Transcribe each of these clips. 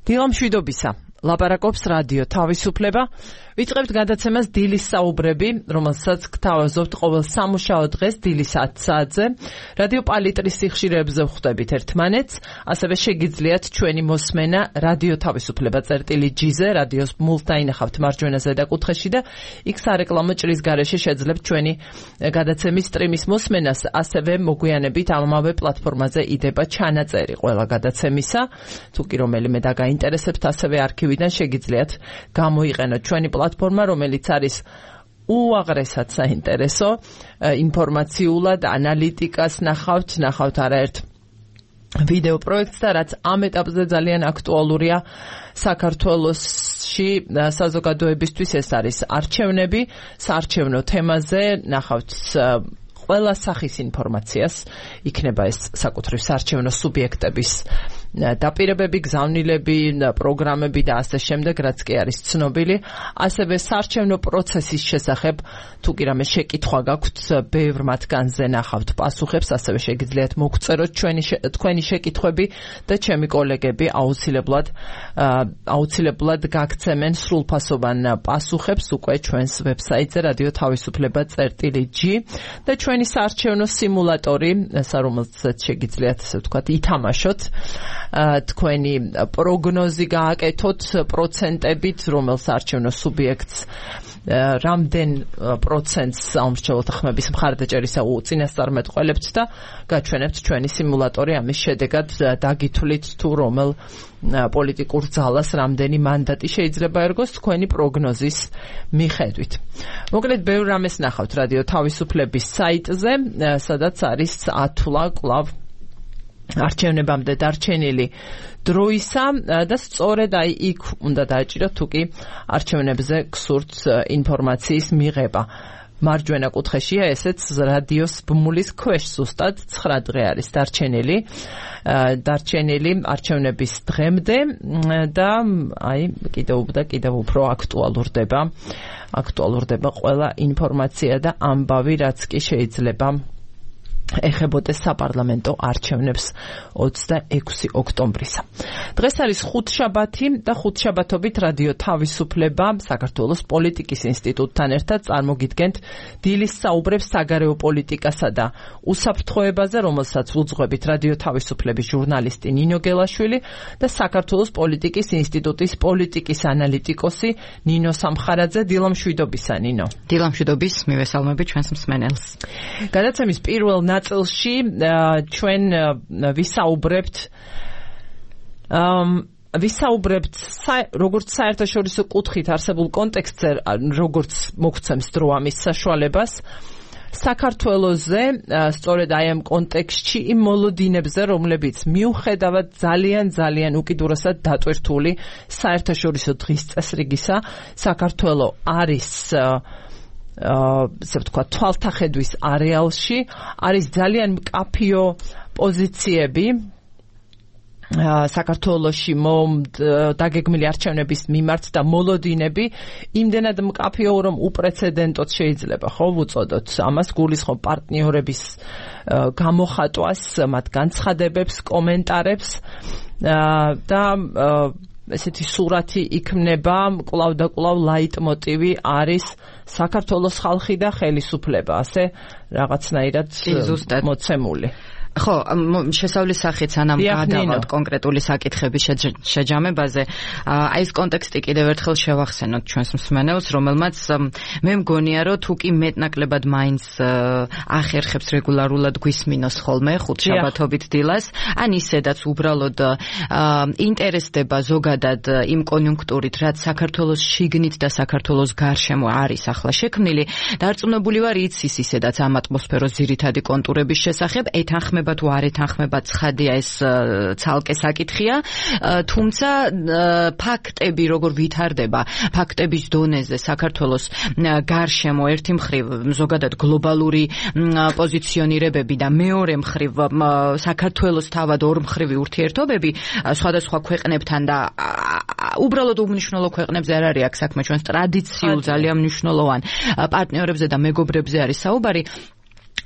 დილამშვიდობისა. ლაპარაკობს რადიო თავისუფლება. ვიწყებთ გადაცემას დილის საუბრები, რომელსაც გთავაზობთ ყოველ სამუშაო დღეს დილის 10 საათზე. რადიო პალიტრის სიხშირეებზე ვხვდებით ერთმანეთს, ასევე შეგიძლიათ ჩვენი მოსმენა რადიო თავისუფლება წერტილი-G-ზე, რადიოს მულს დაინახავთ მარჯვენა ზედაკუთხეში და იქ სარეკლამო ჭრის გარეშე შეძლებთ ჩვენი გადაცემის სტრიმის მოსმენას, ასევე მოგვიანებით ამავე პლატფორმაზე იდება ჩანაწერი ყველა გადაცემისა. თუ კი რომელიმე დაგაინტერესებთ, ასევე არქივიდან შეგიძლიათ გამოიყენოთ ჩვენი პლატფორმა, რომელიც არის უაღრესად საინტერესო, ინფორმაციულად, ანალიტიკას ნახავთ არაერთ ვიდეო პროექტს და რაც ამ ეტაპზე ძალიან აქტუალურია საქართველოში საზოგადოებისთვის, ეს არის არჩევნები. საარჩევნო თემაზე ნახავთ ყველა სახის ინფორმაციას, იქნება ეს საკუთრივ საარჩევნო სუბიექტების დაპირებები, გზავნილები, პროგრამები და ასე შემდეგ, რაც კი არის ცნობილი. ასევე საარჩევნო პროცესის შესახებ თუ კი რამე შეკითხვა გაქვთ, ბევრ მათგანზე ნახავთ პასუხებს, ასევე შეგიძლიათ მოგწეროთ თქვენი შეკითხვები და ჩემი კოლეგები აუცილებლად გაგცემენ სრულფასოვან პასუხებს უკვე ჩვენს ვებსაიტზე რადიო თავისუფლება წერტილი-G და ჩვენი საარჩევნო სიმულატორი, რომელსაც შეგიძლიათ ასე ვთქვათ ითამაშოთ, თქვენი პროგნოზი გააკეთოთ პროცენტებით, რომელ საარჩევნო სუბიექტს რამდენ პროცენტს საომრჩევლოთა ხმების მხარდაჭერისა უწინასწარმეტყველებთ და გაჩვენებთ ჩვენი სიმულატორი. ამის შედეგად დაგითვლით თუ რომელ პოლიტიკურ ძალას რამდენი მანდატი შეიძლება ერგოს თქვენი პროგნოზის მიხედვით. მოკლედ, ბევრ რამეს ნახავთ რადიო თავისუფლების საიტზე, სადაც არის ათვლა კვლავ არჩევნებამდე დარჩენილი დროისა და სწორედ იქ უნდა დააჭიროთ თუ კი არჩევნებზე გსურთ ინფორმაციის მიღება. მარჯვენა კუთხეშია ესეც რადიოს ბმულის ქვეშ ზუსტად 9 დღე არის დარჩენილი არჩევნების დღემდე და კიდევ უფრო აქტუალურდება ყველა ინფორმაცია და ამბავი, რაც კი შეიძლება ეხებოდეს საპარლამენტო არჩევნებს 26 ოქტომბრისა. დღეს არის ხუთშაბათი და ხუთშაბათობით რადიო თავისუფლება საქართველოს პოლიტიკის ინსტიტუტთან ერთად წარმოგიდგენთ დილის საუბრებს საგარეო პოლიტიკასა და უსაფრთხოებაზე, რომელსაც უძღვებით რადიო თავისუფლების ჟურნალისტი ნინო გელაშვილი და საქართველოს პოლიტიკის ინსტიტუტის პოლიტიკის ანალიტიკოსი ნინო სამხარაძე. დილამშვიდობისა, ნინო. დილამშვიდობის, მივესალმები ჩვენს მსმენელს. გადაცემის პირველ ნაწილში ჩვენ ვისაუბრებთ როგორც საერთაშორისო კუთხით არსებულ კონტექსტზე, როგორც მოგცემს დრო ამის საშუალებას, საქართველოზე, სწორედ აი ამ კონტექსტში იმ მოლოდინებზე, რომლებიც მიუხედავად ძალიან უკიდურესად დატვირთული საერთაშორისო დღის წესრიგისა, საქართველო არის ასე ვთქვათ თვალთახედვის არეალში, არის ძალიან მკაფიო პოზიციები საქართველოში დაგეგმილი არჩევნების მიმართ და მოლოდინები იმდენად მკაფიო, რომ უპრეცედენტოდ შეიძლება ვუწოდოთ ამას, გულისხმობ პარტნიორების გამოხატვას, მათ განცხადებებს, კომენტარებს და ესეთი სურათი იქმნება, კვლავ და კვლავ ლაიტმოტივი არის საქართველოს ხალხი და ხელისუფლება, ასე რაღაცნაირად მოცემული. ხო, შესავლის სახით სანამ გადავალთ კონკრეტული საკითხების შეჯამებაზე, აი ეს კონტექსტი კიდევ ერთხელ შევახსენოთ ჩვენს მსმენელს, რომელმაც მე მგონია, რომ თუ კი მეტნაკლებად მაინც ახერხებს რეგულარულად გვისმინოს ხოლმე ხუთშაბათობით დილას, ან ისედაც უბრალოდ ინტერესდება ზოგადად იმ კონიუნქტურით, რაც საქართველოს შიგნით და საქართველოს გარშემო არის ახლა შექმნილი, დარწმუნებული ვარ იცის ისედაც ამ ატმოსფეროს ძირითადი კონტურების შესახებ, ეთანხმება თუ არ ეთანხმება ცხადია, ეს ცალკე საკითხია, თუმცა ფაქტები როგორ ვითარდება, ფაქტების დონეზე საქართველოს გარშემო ერთი მხრივ ზოგადად გლობალური პოზიციონირებები და მეორე მხრივ საქართველოს თავად ორმხრივი ურთიერთობები სხვადასხვა ქვეყნებთან და უბრალოდ უმნიშვნელო ქვეყნებზე არ არის აქ საქმე, ჩვენს ტრადიციულ ძალიან მნიშვნელოვან პარტნიორებზე და მეგობრებზე არის საუბარი.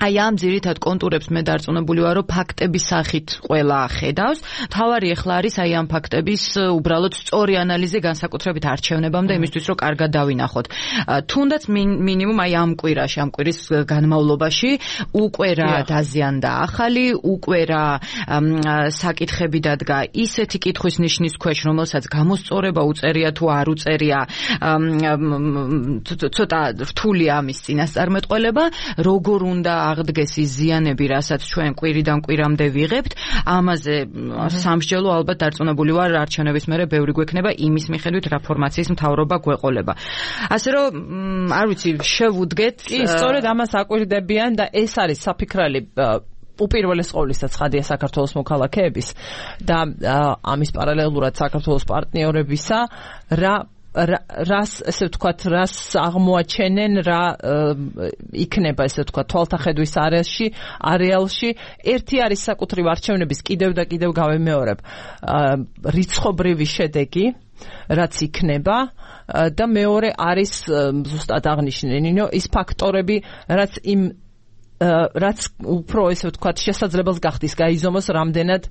აი ამ ძირითად კონტურებს მე დარწმუნებული ვარ, რომ ფაქტების სახით ყველა ხედავს. თავარი ახლა არის აი ამ ფაქტების უბრალოდ სწორი ანალიზი განსაკუთრებით არჩევნებამდე იმისთვის, რომ კარგად დავინახოთ. თუნდაც მინიმუმ აი ამ კვირის განმავლობაში უკვე რა დაზიანდა ახალი, უკვე რა საკითხები დადგა ისეთი კითხვის ნიშნის ქვეშ, რომელსაც გამოსწორება უწერია თუ არ უწერია, ცოტა რთულია ამის წინასწარმეტყველება, როგორ უნდა აღდგეს ის ზიანები, რასაც ჩვენ კვირიდან კვირამდე ვიღებთ, ამაზე სამსჯელო ალბათ დარწმუნებული ვარ, არჩევნების მერე ბევრი გვექნება იმის მიხედვით რა ფორმაციის მთავრობა გვეყოლება. ასე რომ არ ვიცი, შევუდგეთ. კი, სწორედ ამას აკვირდებიან და ეს არის საფიქრალი უპირველეს ყოვლისა ცხადია საქართველოს მოქალაქეების და ამის პარალელურად საქართველოს პარტნიორებისა რას ესე ვთქვათ, რას აღმოაჩენენ, რა იქნება ესე ვთქვათ თვალთახედვის არეალში. ერთი არის საკუთრივ არჩევნების კიდევ და კიდევ გავემეორებ რიცხობრივი შედეგი, რაც იქნება და მეორე არის ზუსტად აღნიშნე ნინო ის ფაქტორები, რაც უფრო ესე ვთქვათ შესაძლებელს გახდის გაიზომოს რამდენად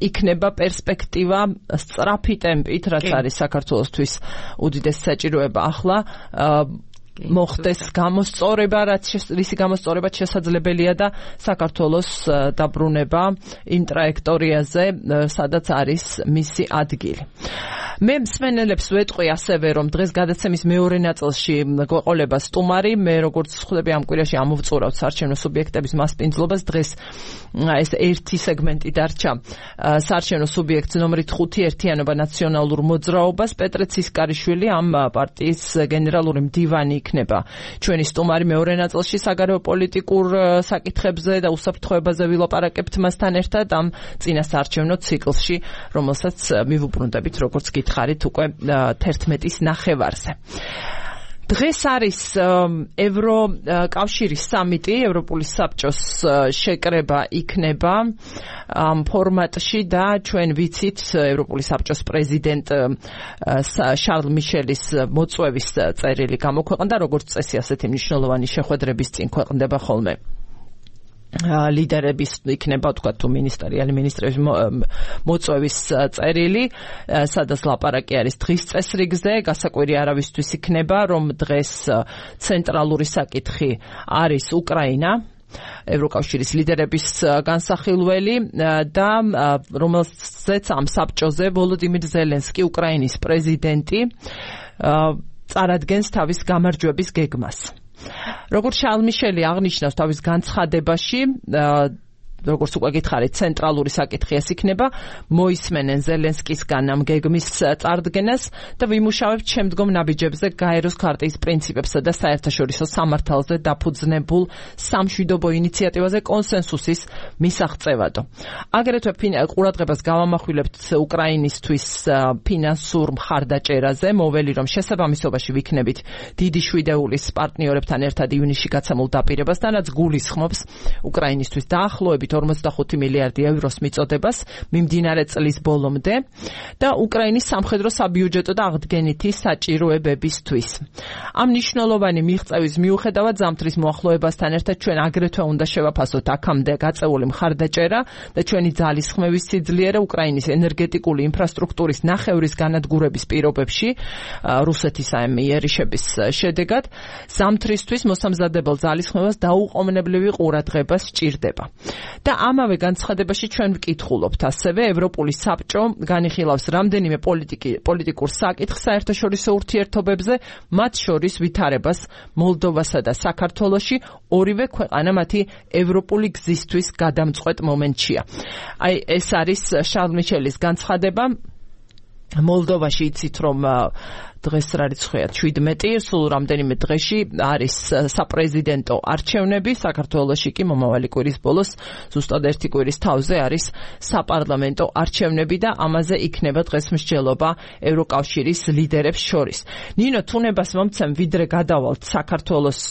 იქნება პერსპექტივა სწრაფი ტემპით, რაც არის საქართველოსთვის უდიდესი საჭიროება ახლა მოხდეს გამოსწორება, რისი გამოსწორება შესაძლებელია და საქართველოს დაბრუნება იმ ტრაექტორიაზე, სადაც არის მისი ადგილი. მე მსმენელებს ვეტყვი ასევე, რომ დღეს გადაცემის მეორე ნაწილში გვეყოლება სტუმარი, მე როგორც ხვდები ამ კვირაში ამოვწურავთ საარჩევნო სუბიექტების მასპინძლობას, დღეს ეს ერთი სეგმენტი დარჩა საარჩევნო სუბიექტს ნომრით 5 ერთიანობა ნაციონალურ მოძრაობას. პეტრე ცისკარიშვილი, ამ პარტიის გენერალური მდივანი იქნება ჩვენი სტუმარი მეორე ნაწილში საგარეო პოლიტიკურ საკითხებზე და უსაფრთხოებაზე ვილაპარაკებთ მასთან ერთად ამ წინასაარჩევნო ციკლში, რომელსაც მივუბრუნდებით როგორც გითხარით უკვე 11-ის ნახევარზე. დღეს არის ევროკავშირის სამიტი, ევროპული საბჭოს შეკრება იქნება ამ ფორმატში და ჩვენ ვიცით ევროპული საბჭოს პრეზიდენტ შარლ მიშელის მოწვევის წერილი გამოქვეყნდა, როგორც წესი ასეთი მნიშვნელოვანი შეხვედრების წინ ქვეყნდება ხოლმე ლიდერების იქნება თქვა თუ მინისტრების მოწვევის წერილი, სადაც ლაპარაკი არის დღის წესრიგზე, გასაკვირი არავისთვის იქნება, რომ დღეს ცენტრალური საკითხი არის უკრაინა, ევროკავშირის ლიდერების განსახილველი და რომელზეც ამ საბჭოზე ვოლოდიმირ ზელენსკი, უკრაინის პრეზიდენტი, წარადგენს თავის გამარჯვების გეგმას. როგორც შარლ მიშელი აღნიშნავს თავის განცხადებაში, როგორც უკვე გითხარით, ცენტრალური საკითხი ეს იქნება, მოისმენენ ზელენსკისგან ამ გეგმის წარდგენას და ვიმუშავებთ შემდგომ ნაბიჯებზე გაეროს ქარტიის პრინციპებსა და საერთაშორისო სამართალზე დაფუძნებულ სამშვიდობო ინიციატივაზე კონსენსუსის მისაღწევადო. აგრეთვე ყურადღებას გავამახვილებთ უკრაინისთვის ფინანსურ მხარდაჭერაზე, მოველი რომ შესაბამისობაში ვიქნებით დიდი შვიდეულის პარტნიორებთან ერთად ივნისში გაცემულ დაპირებას, რაც გულისხმობს უკრაინისთვის დაახლოებით 45 მილიარდი ევროს მიწოდებას მიმდინარე წლის ბოლომდე და უკრაინის სამხედრო საბიუჯეტო და აღდგენითი საჭიროებებისთვის. ამ მნიშვნელოვანი მიღწევის მიუხედავად ზამთრის მოახლოებასთან ერთად ჩვენ აგრეთვე უნდა შევაფასოთ აქამდე გაწეული მხარდაჭერა და ჩვენი ძალისხმევის სიძლიერე უკრაინის ენერგეტიკული ინფრასტრუქტურის ნახევრის განადგურების პირობებში რუსეთის იერიშების შედეგად ზამთრისთვის მოსამზადებელ ძალისხმევას დაუყოვნებლივი ყურადღება სჭირდება. და ამავე განცხადებაში ჩვენ ვკითხულობთ ასევე ევროპული საბჭო განიხილავს რამდენიმე პოლიტიკურ საკითხს საერთაშორისო ურთიერთობებზე, მათ შორის ვითარებას მოლდოვასა და საქართველოში, ორივე ქვეყანა მათი ევროპული გზისთვის გადამწყვეტ მომენტშია. აი ეს არის შარლ მიშელის განცხადება. მოლდოვაში იცით რომ დღეს რა რიცხვია 17, სულ რამდენიმე დღეში არის საპრეზიდენტო არჩევნები, საქართველოში კი მომავალი კვირის ბოლოს ზუსტად ერთი კვირის თავზე არის საპარლამენტო არჩევნები და ამაზე იქნება დღეს მსჯელობა ევროკავშირის ლიდერებს შორის. ნინო, თუნებას მომცემ ვიდრე გადავალთ საქართველოს,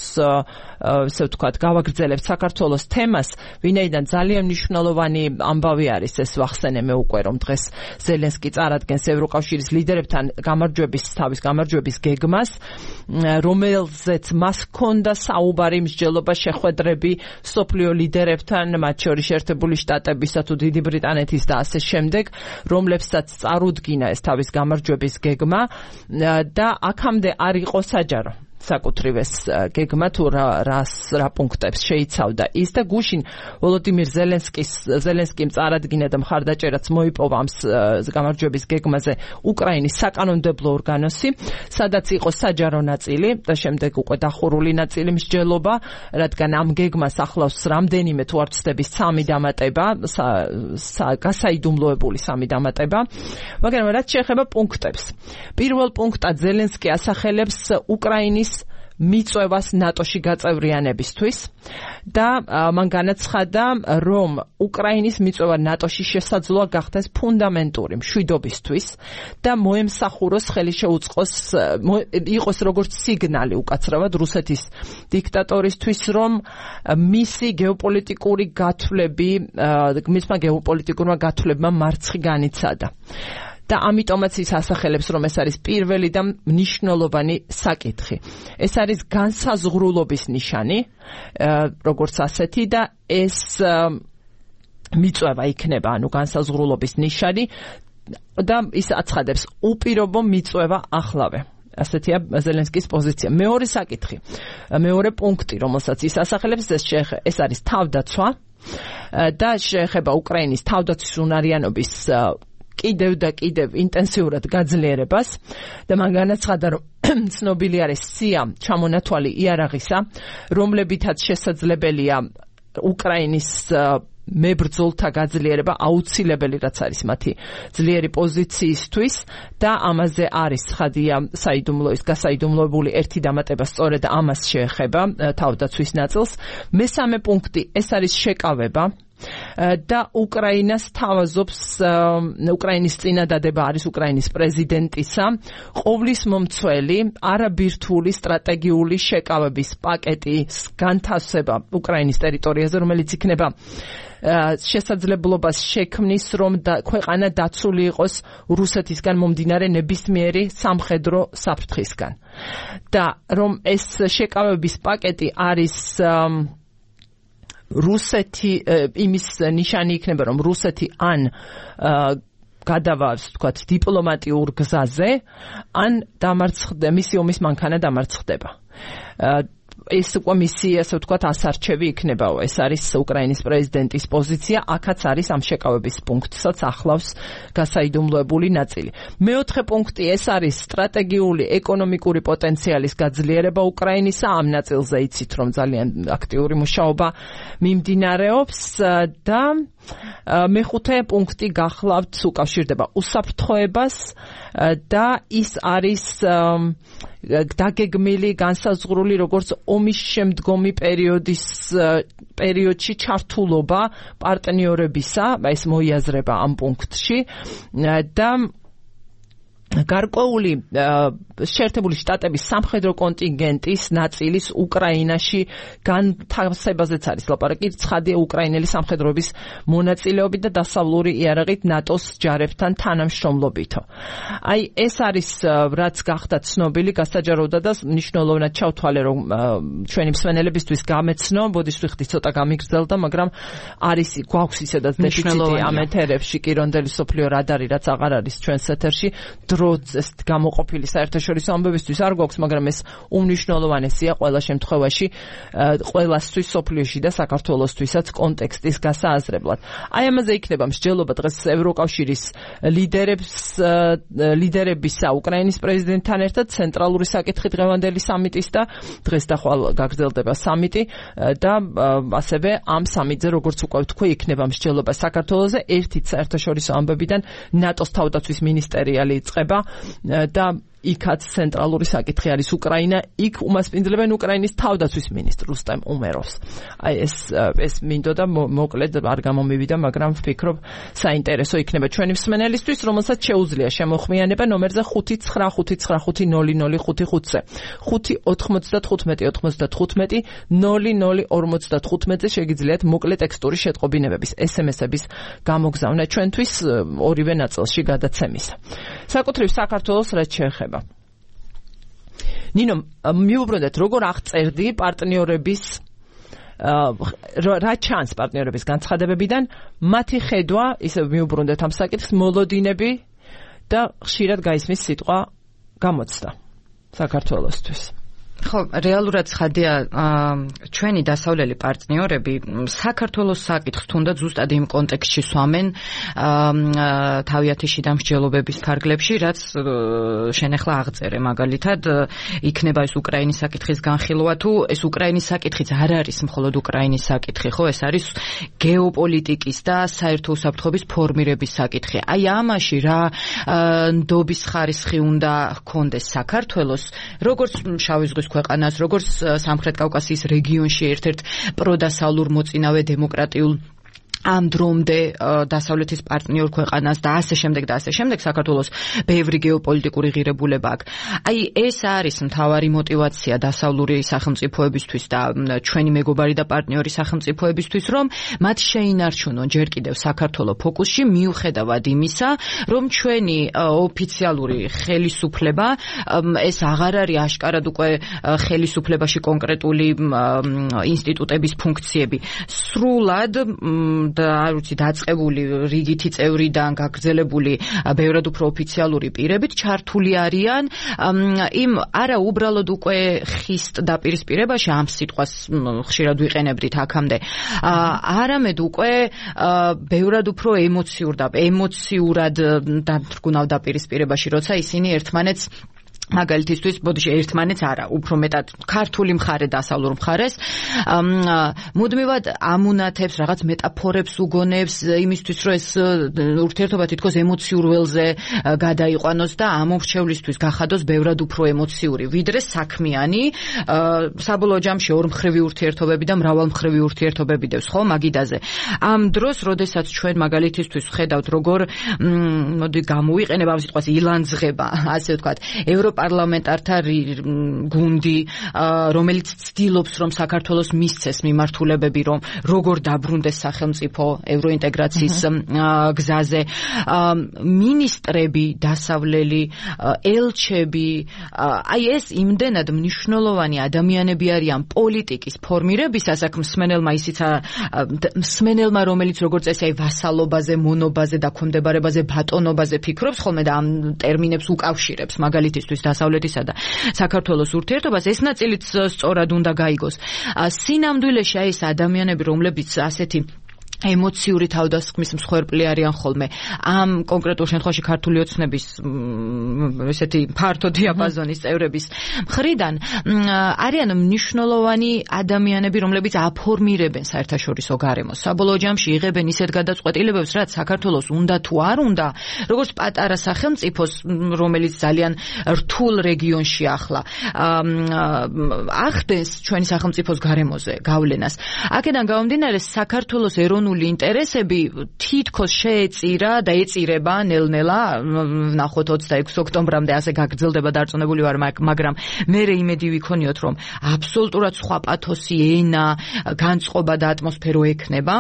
ესე ვთქვათ, გავაგრძელებთ საქართველოს თემას, ვინაიდან ძალიან მნიშვნელოვანი ამბავი არის ეს ვახსენე მე უკვე რომ დღეს ზელენსკი წარადგენს ევროკავშირის ლიდერებთან გამარჯვების თავის გამარჯვების გეგმას, რომელზეც მას ჰქონდა საუბარი, მსჯელობა, შეხვედრები სოფლიო ლიდერებთან, მათ შორის შეერთებული შტატებისა თუ დიდი ბრიტანეთის და ასე შემდეგ, რომლებსაც წარუდგინა ეს თავის გამარჯვების გეგმა და აქამდე არ იყო საჯარო საკუთრივ ეს გეგმა თუ რა პუნქტებს შეიცავდა ის და გუშინ ვოლოდიმირ ზელენსკიმ წარადგინა და მხარდაჭერაც მოიპოვა ამ გამარჯვების გეგმაზე უკრაინის საკანონმდებლო ორგანოსი, სადაც იყო საჯარო ნაწილი და შემდეგ უკვე დახურული ნაწილი მსჯელობა, რადგან ამ გეგმას ახლავს რამდენიმე თუ არ ვცდები 3 დამატება, გასაიდუმლოებული 3 დამატება, მაგრამ რაც შეეხება პუნქტებს. პირველ პუნქტად ზელენსკი ასახელებს უკრაინის მიწვევას ნატოში გაწევრიანებისთვის და მან განაცხადა, რომ უკრაინის მიწვევა ნატოში შესაძლოა გახდეს ფუნდამენტური მშვიდობისთვის და მოემსახუროს ხელი შეუწყოს იყოს როგორც სიგნალი უკაცრავად რუსეთის დიქტატორისთვის, რომ მისი გეოპოლიტიკური გათვლები, მისმა გეოპოლიტიკურმა გათვლებმა მარცხი განიცადა. და ამიტომაც ის ასახელებს, რომ ეს არის პირველი და მნიშვნელოვანი საკითხი. ეს არის განსაზღვრულობის ნიშანი, როგორც ასეთი და ეს მიწვევა იქნება, ანუ განსაზღვრულობის ნიშანი და ის აცხადებს უპირობო მიწვევა ახლავე. ასეთია ზელენსკის პოზიცია. მეორე საკითხი, მეორე პუნქტი, რომელსაც ის ასახელებს, ეს არის თავდაცვა და შეეხება უკრაინის თავდაცვის უნარიანობის კიდევ და კიდევ ინტენსიურად გაძლიერებას და მან განაცხადა, რომ ცნობილი არის სია ჩამონათვალი იარაღისა, რომლებითაც შესაძლებელია უკრაინის მებრძოლთა გაძლიერება აუცილებელი, რაც არის მათი ძლიერი პოზიციისთვის და ამაზე არის ხადია გასაიდუმლოებული ერთი დამატება, სწორედ ამას შეეხება თავდაცვის ნაწილს. მესამე პუნქტი, ეს არის შეკავება და უკრაინას თავაზობს, უკრაინის წინადადება არის უკრაინის პრეზიდენტისა ყოვლის მომცველი არაბირთვული სტრატეგიული შეკავების პაკეტის განთავსება უკრაინის ტერიტორიაზე, რომელიც იქნება შესაძლებლობას შექმნის, რომ ქვეყანა დაცული იყოს რუსეთისგან მომდინარე ნებისმიერი სამხედრო საფრთხისგან და რომ ეს შეკავების პაკეტი არის რუსეთი, იმის ნიშანი იქნება, რომ რუსეთი ან გადავარს, თქვათ, დიპლომატიურ გზაზე, ან მისი ომის მანქანა დამარცხდება. ეს უკვე მისი, ასე ვთქვათ, ასარჩევი იქნება. ეს არის უკრაინის პრეზიდენტის პოზიცია, აქაც არის ამ შეკავების პუნქტსაც ახლავს გასაიდუმლოებული ნაწილი. მეოთხე პუნქტი, ეს არის სტრატეგიული ეკონომიკური პოტენციალის გაძლიერება უკრაინისა, ამ ნაწილზე იცით, რომ ძალიან აქტიური მუშაობა მიმდინარეობს და მეხუთე პუნქტი გახლავთ უკავშირდება უსაფრთხოებას და ის არის დაგეგმილი, განსაზღვრული როგორც ომის შემდგომი პერიოდში ჩართულობა პარტნიორებისა, ეს მოიაზრება ამ პუნქტში და გარკვეული შეერთებული შტატების სამხედრო კონტინგენტის ნაწილის უკრაინაში განთავსებაზეც არის ლაპარაკი, ცხადია უკრაინელი სამხედროების მონაწილეობით და დასავლური იარაღით ნატოს ჯარებთან თანამშრომლობითო. აი ეს არის რაც გახდა ცნობილი, გასაჯაროვდა და მნიშვნელოვნად ჩავთვალე, რომ ჩვენი მსმენელებისთვის გამეცნო, ბოდიშვიხტი ცოტა გამიგრძელდა, მაგრამ არის გვაქვს ისედაც დეფიციტი ამ ეთერებში, კირონდელი სოფლიო რადარი, რაც აღარ არის ჩვენს ეთერში, დროძეს გამოყოფილი საერთაშორისო ამბებისთვის არ გვაქვს, მაგრამ ეს უმნიშვნელოვანესია ყველა შემთხვევაში, ყველასთვის სოფლიოში და საქართველოსთვისაც კონტექსტის გასააზრებლად. აი ამაზე იქნება მსჯელობა დღეს ევროკავშირის ლიდერებისა უკრაინის პრეზიდენტთან ერთად, ცენტრალური საკითხი დღევანდელი სამიტის და დღეს და ხვალ გაგრძელდება სამიტი და ასევე ამ სამიტზე, როგორც უკვე ვთქვი, იქნება მსჯელობა საქართველოზე, ერთით საერთაშორისო ამბებიდან ნატოს თავდაცვის მინისტერიალი იწყება და იქაც ცენტრალური საკითხი არის უკრაინა, იქ უმასპინძლებენ უკრაინის თავდაცვის მინისტრ რუსტემ უმეროვს. აი ეს მინდოდა მოკლედ არ გამომივიდა, მაგრამ ვფიქრობ საინტერესო იქნება ჩვენი მსმენელისთვის, რომელსაც შეუძლია შემოხმიანება ნომერზე 595500505-ზე 595-95-00-55-ზე შეგიძლიათ მოკლე ტექსტური შეტყობინებების SMS-ების გამოგზავნა ჩვენთვის ორივე ნაწილში გადაცემისა. საკუთრივ საქართველოს რაც შეეხება ნინო, მიუბრუნდეთ, როგორ აღწერდი პარტნიორების რა ჩანს პარტნიორების განცხადებებიდან, მათი ხედვა, ისე მიუბრუნდეთ ამ საკითხს, მოლოდინები და ხშირად გაისმის სიტყვა გამოცდა საქართველოსთვის. ხო, რეალურად ხადია ჩვენი დასავლელი პარტნიორები საქართველოს საკითხს თუნდაც ზუსტად იმ კონტექსტში სვამენ თავიანთი შიდა მსჯელობების ფარგლებში, რაც შენ ახლა აღწერე, მაგალითად იქნება ეს უკრაინის საკითხის განხილვა თუ ეს უკრაინის საკითხიც არ არის მხოლოდ უკრაინის საკითხი, ხო, ეს არის გეოპოლიტიკის და საერთო უსაფრთხოების ფორმირების საკითხი. აი ამაში რა ნდობის ხარისხი უნდა ჰქონდეს საქართველოს, როგორც შავი ზღვის ქვეყანას, როგორც სამხრეთ კავკასიის რეგიონში ერთ-ერთ პროდასავლურ მოწინავე დემოკრატიულ ამ დრომდე დასავლეთის პარტნიორ ქვეყანას და ასე შემდეგ საქართველოს ბევრი გეოპოლიტიკური ღირებულება აქვს. აი ეს არის მთავარი мотиваცია დასავლური სახელმწიფოებისთვის და ჩვენი მეგობარი და პარტნიორი სახელმწიფოებისთვის, რომ მათ შეინარჩუნონ ჯერ კიდევ საქართველოს ფოკუსში, მიუხედავად იმისა, რომ ჩვენი ოფიციალური ხელისუფლება ეს აღარ არის აშკარად უკვე ხელისუფლებაში კონკრეტული ინსტიტუტების ფუნქციები. სრულად და არ ვიცი დაწყებული რიგითი წევრიდან გაგრძელებული ბევრად უფრო ოფიციალური პირებით ჩართული არიან იმ არა უბრალოდ უკვე ხისტ დაპირისპირებაში ამ სიტყვას ხშირად ვიყენებდით აქამდე არამედ უკვე ბევრად უფრო ემოციურად დამთრგუნავ დაპირისპირებაში, როცა ისინი ერთმანეთს მაგალითისთვის, ბოდიში ერთმანეთს არა, უფრო მეტად ქართული მხარე დასავლურ მხარეს მუდმივად ამუნათებს, რაღაც მეტაფორებს უგონებს იმისთვის, რომ ეს ურთიერთობა თითქოს ემოციურ ველზე გადაიყვანოს და ამ მომრჩევლისთვის გახადოს ბევრად უფრო ემოციური, ვიდრე საქმიანი, საბოლოო ჯამში ორმხრივი ურთიერთობები და მრავალმხრივი ურთიერთობები დევს, ხო, მაგიდაზე. ამ დროს, როდესაც ჩვენ მაგალითისთვის ვხედავთ, როგორ მოდი გამოვიყენებ ამ სიტყვას ილანძღება, ასე ვთქვათ, ევროპარლამენტართა გუნდი, რომელიც ცდილობს, რომ საქართველოს მისცეს მიმართულებები, რომ როგორ დაბრუნდეს სახელმწიფო ევროინტეგრაციის გზაზე, მინისტრები, დასავლელი, ელჩები, აი ეს იმდენად მნიშვნელოვანი ადამიანები არიან პოლიტიკის ფორმირებისას, აქ მსმენელმა, რომელიც როგორც წესი აი ვასალობაზე, მონობაზე, დაქვემდებარებაზე, ბატონობაზე ფიქრობს ხოლმე და ამ ტერმინებს უკავშირებს, მაგალითისთვის დასავლეთისა და საქართველოს ურთიერთობას, ეს ნაწილიც სწორად უნდა გაიგოს. სინამდვილეში აი ეს ადამიანები, რომლებიც ასეთი ემოციური თავდასხმის მსხვერპლი არიან ხოლმე ამ კონკრეტულ შემთხვევაში ქართული ოცნების ესეთი ფართო დიაპაზონის წევრების მხრიდან არიან მნიშვნელოვანი ადამიანები, რომლებიც აფორმირებენ საერთაშორისო გარემოს. საბოლოო ჯამში იღებენ ისეთ გადაწყვეტილებებს, რაც საქართველოს უნდა თუ არ უნდა, როგორც პატარა სახელმწიფოს, რომელიც ძალიან რთულ რეგიონში ახლა ახდენს ჩვენი სახელმწიფოს გარემოზე გავლენას. აქედან გამომდინარე, საქართველოს ეროვნული ინტერესები თითქოს შეეწირა და ეწირება ნელ-ნელა, ვნახოთ 26 ოქტომბრამდე ასე გაგრძელდება დარწმუნებული ვარ, მაგრამ მე იმედი ვიქონიოთ, რომ აბსოლუტურად სხვა პათოსი ენა, განწყობა და ატმოსფერო ექნება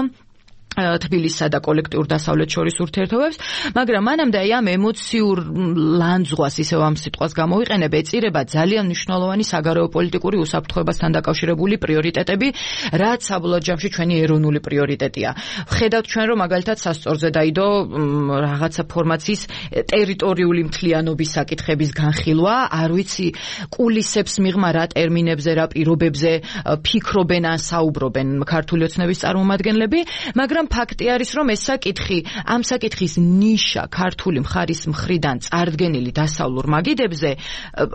თბილისსა და კოლექტიურ დასავლეთ შორის ურთიერთობებს, მაგრამ მანამდე აი ამ ემოციურ ლანძღვას, ისევ ამ სიტყვას გამოვიყენებ, ეწირება ძალიან მნიშვნელოვანი საგარეო პოლიტიკური უსაფრთხოებასთან დაკავშირებული პრიორიტეტები, რაც საბოლოო ჯამში ჩვენი ეროვნული პრიორიტეტია. ვხედავთ ჩვენ, რომ მაგალითად სასწორზე დაიდო რაღაცა ფორმაციის ტერიტორიული მთლიანობის საკითხების განხილვა, არ ვიცი კულისებს მიღმა რა ტერმინებზე, რა პირობებზე ფიქრობენ ან საუბრობენ ქართული ოცნების წარმომადგენლები, მაგრამ ფაქტი არის, რომ ეს საკითხი, ამ საკითხის ნიშა ქართული მხარის მხრიდან წარდგენილი დასავლურ მაგიდებზე,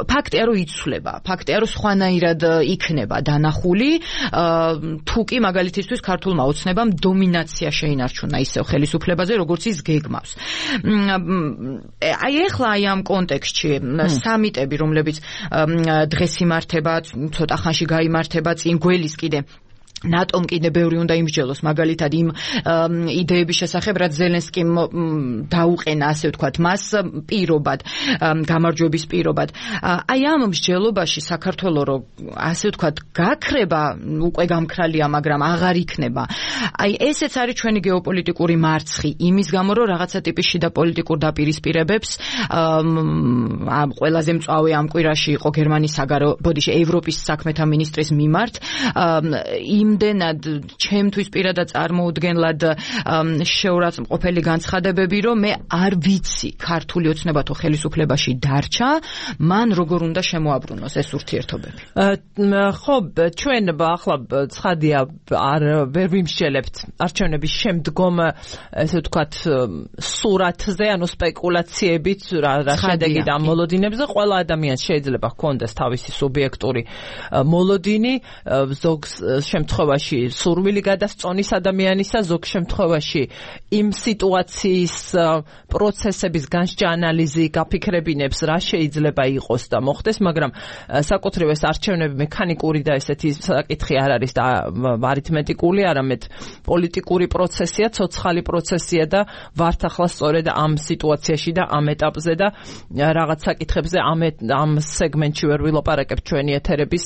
ფაქტია, რომ იცვლება, ფაქტია, რომ სხვანაირად იქნება დანახული, თუ კი მაგალითისთვის ქართულმა ოცნებამ დომინაცია შეინარჩუნა ისევ ხელისუფლებაზე, როგორც ის გეგმავს. აი ეხლა აი ამ კონტექსტში სამიტები, რომლებიც დღეს იმართება, ცოტა ხანში გაიმართება, წინ გველის კიდე ნატომ კიდე ბევრი უნდა იმსჯელოს მაგალითად იმ იდეების შესახებ, რაც ზელენსკიმ დაუყენა, ასე ვთქვათ, მას პირობად, გამარჯვების პირობად. აი ამ მსჯელობაში საქართველო რო ასე ვთქვათ, გაქრება უკვე გამქრალია, მაგრამ აღარ იქნება. აი ესეც არის ჩვენი გეოპოლიტიკური მარცხი, იმის გამო რომ რაღაცა ტიპის შიდა პოლიტიკურ დაპირისპირებებს ყველაზე მწვავე ამ კვირაში იყო გერმანიის ევროპის საქმეთა მინისტრის მიმართ იმდენად ჩემთვის პირადად წარმოუდგენლად შეურაცხმყოფელი განცხადებები, რომ მე არ ვიცი ქართული ოცნებათო ხელისუფლებაში დარჩა, მან როგორ უნდა შემოაბრუნოს ეს ურთიერთობები. ხო, ჩვენ ახლა ცხადია ვერ ვიმსჯელებთ არჩევნების შემდგომ, ესე ვთქვათ, სურათზე, ანუ სპეკულაციებით რა შედეგი და მოლოდინებზე. ყველა ადამიანს შეიძლება ჰქონდეს თავისი სუბიექტური მოლოდინი, ზოგ შემთხვევაში სურვილი გადასწონის ადამიანისა, ზოგ შემთხვევაში იმ სიტუაციის პროცესების განსჯა ანალიზი გაფიქრებინებს რა შეიძლება იყოს და მოხდეს, მაგრამ საკუთრივ ეს არჩევნები მექანიკური და ესეთი საკითხი არ არის და არითმეტიკული, არამედ პოლიტიკური პროცესია, ცოცხალი პროცესია და ვართ ახლა სწორედ ამ სიტუაციაში და ამ ეტაპზე და რაღაც საკითხებზე ამ სეგმენტში ვერ ვილაპარაკებ ჩვენი ეთერების,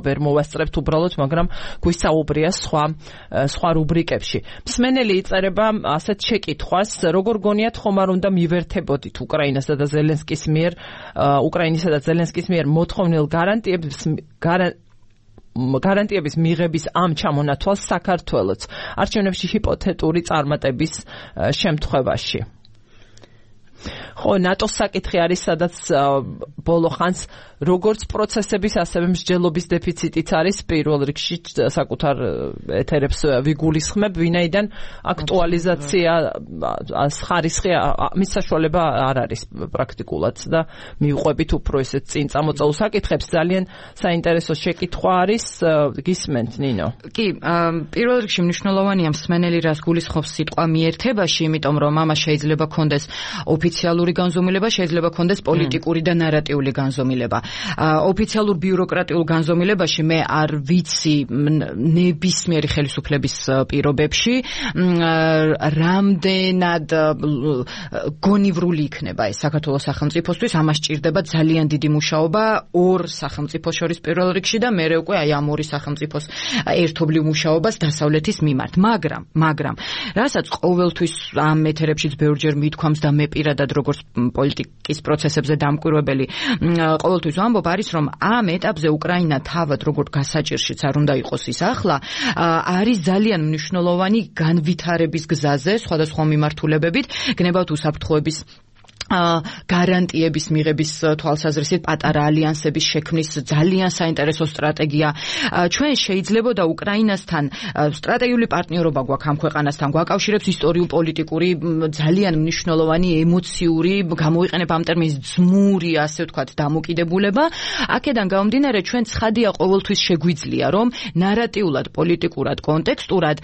ვერ მოვასწრებთ უბრალოდ, მაგრამ გვისაუბრია სხვა რუბრიკებში. მსმენელი იწერება ასეთ შეკითხვას, როგორ გონიათ ხომ არ უნდა მივერთებოდით უკრაინასა და ზელენსკის მიერ მოთხოვნილ გარანტიების მიღების ამ ჩამონათვალს საქართველოც არჩევნებში ჰიპოთეტური წარმატების შემთხვევაში. ხო, ნატოს საკითხი არის, სადაც ბოლო ხანს როგორც პროცესების, ასევე მსჯელობის დეფიციტიც არის. პირველ რიგში საკუთარ ეთერებს ვიგულისხმებ, ვინაიდან აქტუალიზაცია ხარისხი მის საშუალება არ არის პრაქტიკულად და მივყვებით უფრო ესეთ წინ წამოწეულ საკითხებს. ძალიან საინტერესო შეკითხვა არის, გისმენთ ნინო? კი, პირველ რიგში მნიშვნელოვანია მსმენელი რას გულისხმობს სიტყვა მიერთებაში, იმიტომ რომ ამას შეიძლება ქონდეს ოფიციალური განზომილება, შეიძლება ქონდეს პოლიტიკური და ნარატიული განზომილება. ოფიციალურ ბიუროკრატიულ განზომილებაში მე არ ვიცი ნებისმიერი ხელისუფლების პირობებში რამდენად გონივრული იქნება ეს საქართველოს სახელმწიფოსთვის. ამას სჭირდება ძალიან დიდი მუშაობა ორ სახელმწიფოს შორის პირველ რიგში და მერე უკვე აი ამ ორი სახელმწიფოს ერთობლივ მუშაობას დასავლეთის მიმართ. მაგრამ რასაც ყოველთვის ამ ეთერებშიც ბევრჯერ მithქვამს და მე პირადად როგორც პოლიტიკის პროცესებზე დამკვირვებელი ყოველთვის ვამბობ, არის რომ ამ ეტაპზე უკრაინა თავად როგორც გასაჭირშიც არ უნდა იყოს ის ახლა, არის ძალიან მნიშვნელოვანი განვითარების გზაზე სხვადასხვა მიმართულებებით, გნებავთ უსაფრთხოების გარანტიების მიღების თვალსაზრისით პატარა ალიანსების შექმნის ძალიან საინტერესო სტრატეგია. ჩვენ შეიძლებოდა უკრაინასთან სტრატეგიული პარტნიორობა გვაქვს ამ ქვეყანასთან, გვაკავშირებს ისტორიულ-პოლიტიკური ძალიან მნიშვნელოვანი ემოციური, გამოიყენებ ამ ტერმინს ძმური, ასე ვთქვათ, დამოკიდებულება. აქედან გამომდინარე, ჩვენ ცხადია ყოველთვის შეგვიძლია, რომ ნარატიულად, პოლიტიკურად, კონტექსტურად,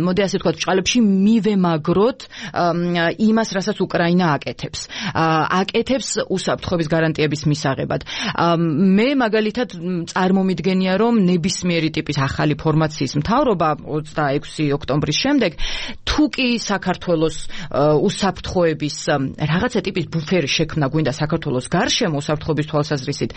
მოდი ასე ვთქვათ, ბრჭყალებში მივემაგროთ იმას, რასაც უკრაინა აკეთებს. აკეთებს უსაფრთხოების გარანტიების მისაღებად. მე მაგალითად წარმომიდგენია, რომ ნებისმიერი ტიპის ახალი ფორმაციის მთავრობა 26 ოქტომბრის შემდეგ თუ კი საქართველოს უსაფრთხოების რაღაცა ტიპის ბუფერი შექმნა გვინდა საქართველოს გარშემო უსაფრთხოების თვალსაზრისით,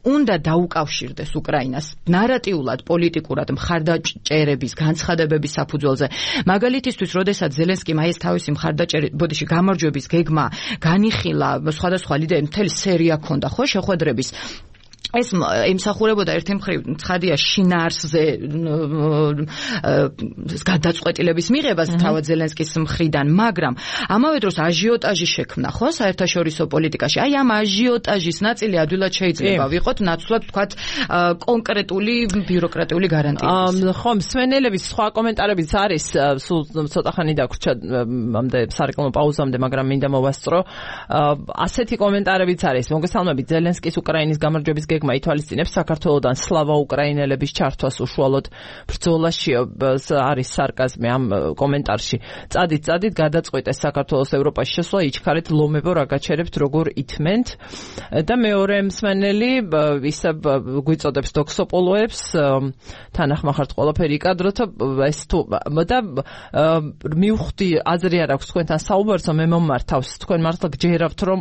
უნდა დაუკავშირდეს უკრაინას ნარატიულად, პოლიტიკურად, მხარდაჭერების, განცხადებების საფუძველზე. მაგალითისთვის, როდესაც ზელენსკიმ აი ეს თავისი გამარჯვების გეგმა განიხილა, სხვადასხვა ლიდერები მთელი სერია ქონდა, ხო, შეხვედრების. ეს ემსახურებოდა ერთი მხრივ ცხადია შინაარსზე გადაწყვეტილების მიღებას თავად ზელენსკის მხრიდან, მაგრამ ამავე დროს აჟიოტაჟი შექმნა, ხო, საერთაშორისო პოლიტიკაში. აი ამ აჟიოტაჟის ნაწილი ადვილად შეიძლება ვიყოთ ნაცვლად თქვათ კონკრეტული ბიუროკრატიული გარანტიების. ხო, მსმენელების სხვა კომენტარებიც არის, სულ ცოტა ხანი დაგვრჩა ამდე სარეკლამო პაუზამდე, მაგრამ მინდა მოვასწრო. ასეთი კომენტარებიც არის. მოგესალმებით, ზელენსკის უკრაინის გამარჯვების გეგმა გეგმა ითვალისწინებს საქართველოდან სლავა უკრაინელების ჩართვას უშუალოდ ბრძოლაში. არის სარკაზმი ამ კომენტარში. წადით გადაწყვეტეს საქართველოს ევროპაში შესვლა, იჩქარეთ ლომებო რა გაჩერებთ, როგორ ითმენთ. და მეორე მსმენელი ისე გვიწოდებს დოქსოპოლოებს, თანახმახართ ყველაფერი კადროთა ეს თუ და მივხვდი აზრი არ აქვს თქვენთან საუბარსო, მე მომართავს თქვენ მართლა გჯერავთ რომ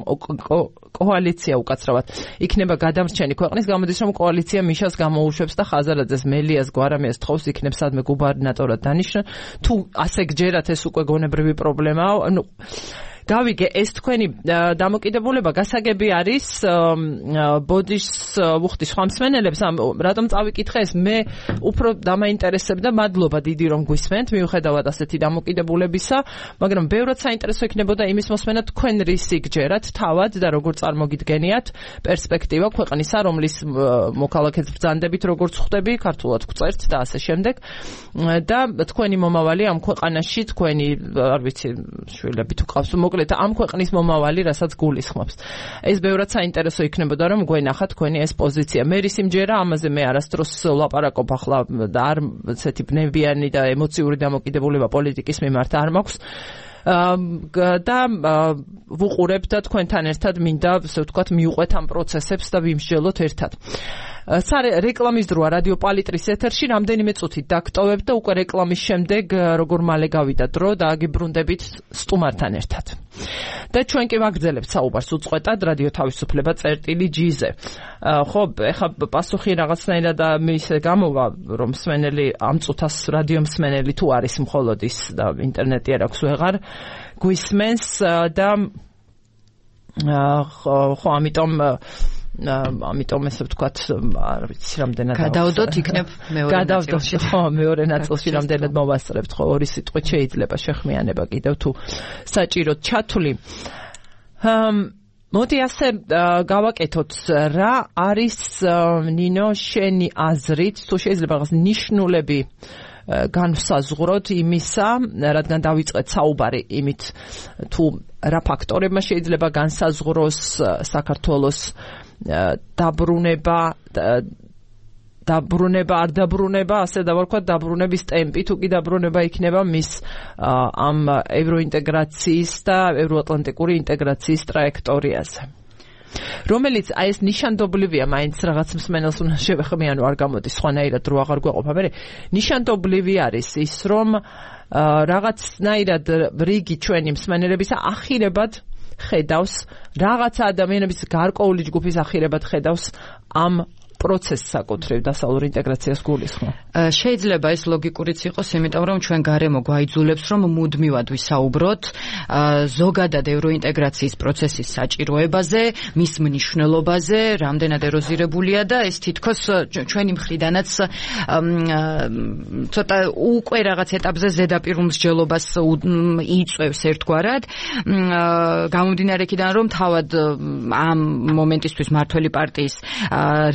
კოალიცია უკაცრავად იქნება გადამრჩენი ქვეყნის, გამოდის რომ კოალიცია მიშას გამოუშვებს და ხაზარაძეს, მელიას, გვარამიას თხოვს იქნებს სადმე გუბერნატორად დანიშნა. თუ ასე გჯერათ, ეს უკვე გონებრივი პრობლემაა. გავიგე, ეს თქვენი დამოკიდებულება გასაგები არის ბოდიშს ვუხდი სხვა მსმენელებს, რატომ წავიკითხე ეს, მე უფრო დამაინტერესებდა, მადლობა დიდი რომ გვისმენთ, მიუხედავად ასეთი დამოკიდებულებისა, მაგრამ ბევრად საინტერესო იქნებოდა იმის მოსმენა, თქვენ რისი გჯერათ თავად და როგორ წარმოგიდგენიათ პერსპექტივა ქვეყნისა, რომლის მოქალაქეც ბრძანდებით როგორც ხვდები, ქართულად გვწერთ და ასე შემდეგ. და თქვენი მომავალი ამ ქვეყანაში, თქვენი არ ვიცი, შვილები თუ ყავს, ამ ქვეყნის მომავალი, რასაც გულისხმობს. ეს ბევრად საინტერესო იქნებოდა, რომ გვენახა თქვენი ეს პოზიცია. მე რის იმჯერა, ამაზე მე არასდროს ვლაპარაკობ ახლა და არ ესეთი ბნებიანი და ემოციური დამოკიდებულება პოლიტიკის მიმართ არ მაქვს. და ვუყურებ და თქვენთან ერთად მინდა, ასე ვთქვათ, მივყვეთ ამ პროცესებს და ვიმსჯელოთ ერთად. რეკლამის დროა რადიო პალიტრის ეთერში, რამდენიმე წუთით დაგტოვებ და უკვე რეკლამის შემდეგ როგორ მალე გავიდა დრო და აგიბრუნდებით სტუმართან ერთად. და ჩვენ კი ვაგრძელებთ საუბარს უწყვეტად რადიო თავისუფლება წერტილი.gz-ზე. ხო, ეხლა პასუხი რაღაცნაირად ისე გამოვა, რომ მსმენელი ამ წუთას რადიო მსმენელი თუ არის მხოლოდ ის და ინტერნეტი არ აქვს ვეღარ გვისმენს და ხო, ამიტომ ესე ვთქვათ, არ ვიცი რამდენად გადავდოთ იქნებ მეორე ნაწილში. ხო, მეორე ნაწილში რამდენად მოვასწრებთ, ხო, ორი სიტყვით შეიძლება შეხმიანება კიდევ თუ საჭიროდ ჩათვლი. მოდი ასე გავაკეთოთ, რა არის ნინო შენი აზრით, თუ შეიძლება რაღაც ნიშნულები განვსაზღვროთ იმისა, რადგან დავიწყეთ საუბარი იმით, თუ რა ფაქტორებმა შეიძლება განსაზღვროს საქართველოს დაბრუნება, არ დაბრუნება, ასე დავარქვათ, დაბრუნების ტემპი, თუ კი დაბრუნება იქნება მის ამ ევროინტეგრაციის და ევროატლანტიკური ინტეგრაციის ტრაექტორიაზე. რომელიც აი ეს ნიშანდობლივია, მაინც რაღაც მსმენელს უნდა შევეხმიანო, არ გამოდის სხვანაირად რო აღარ გვეყოფა. მე ნიშანდობლივი არის ის, რომ რაღაცნაირად რიგი ჩვენი მსმენელებისა ახირებად ხედავს, რაღაცა ადამიანების გარკვეული ჯგუფის ახირებად ხედავს ამ პროცესს საკუთრივ დასავლურ ინტეგრაციას გულისხმობ. შეიძლება ეს ლოგიკურიც იყოს, იმიტომ რომ ჩვენ გარემო გვაიძულებს, რომ მუდმივად ვისაუბროთ ზოგადად ევროინტეგრაციის პროცესის საჭიროებაზე, მის მნიშვნელობაზე, რამდენად ეროზირებულია და ეს თითქოს ჩვენი მხრიდანაც ცოტა უკვე რაღაც ეტაპზე ზედაპირულ მსჯელობას იწვევს ერთგვარად. გამომდინარე იქიდან, რომ თავად ამ მომენტისთვის მართველი პარტიის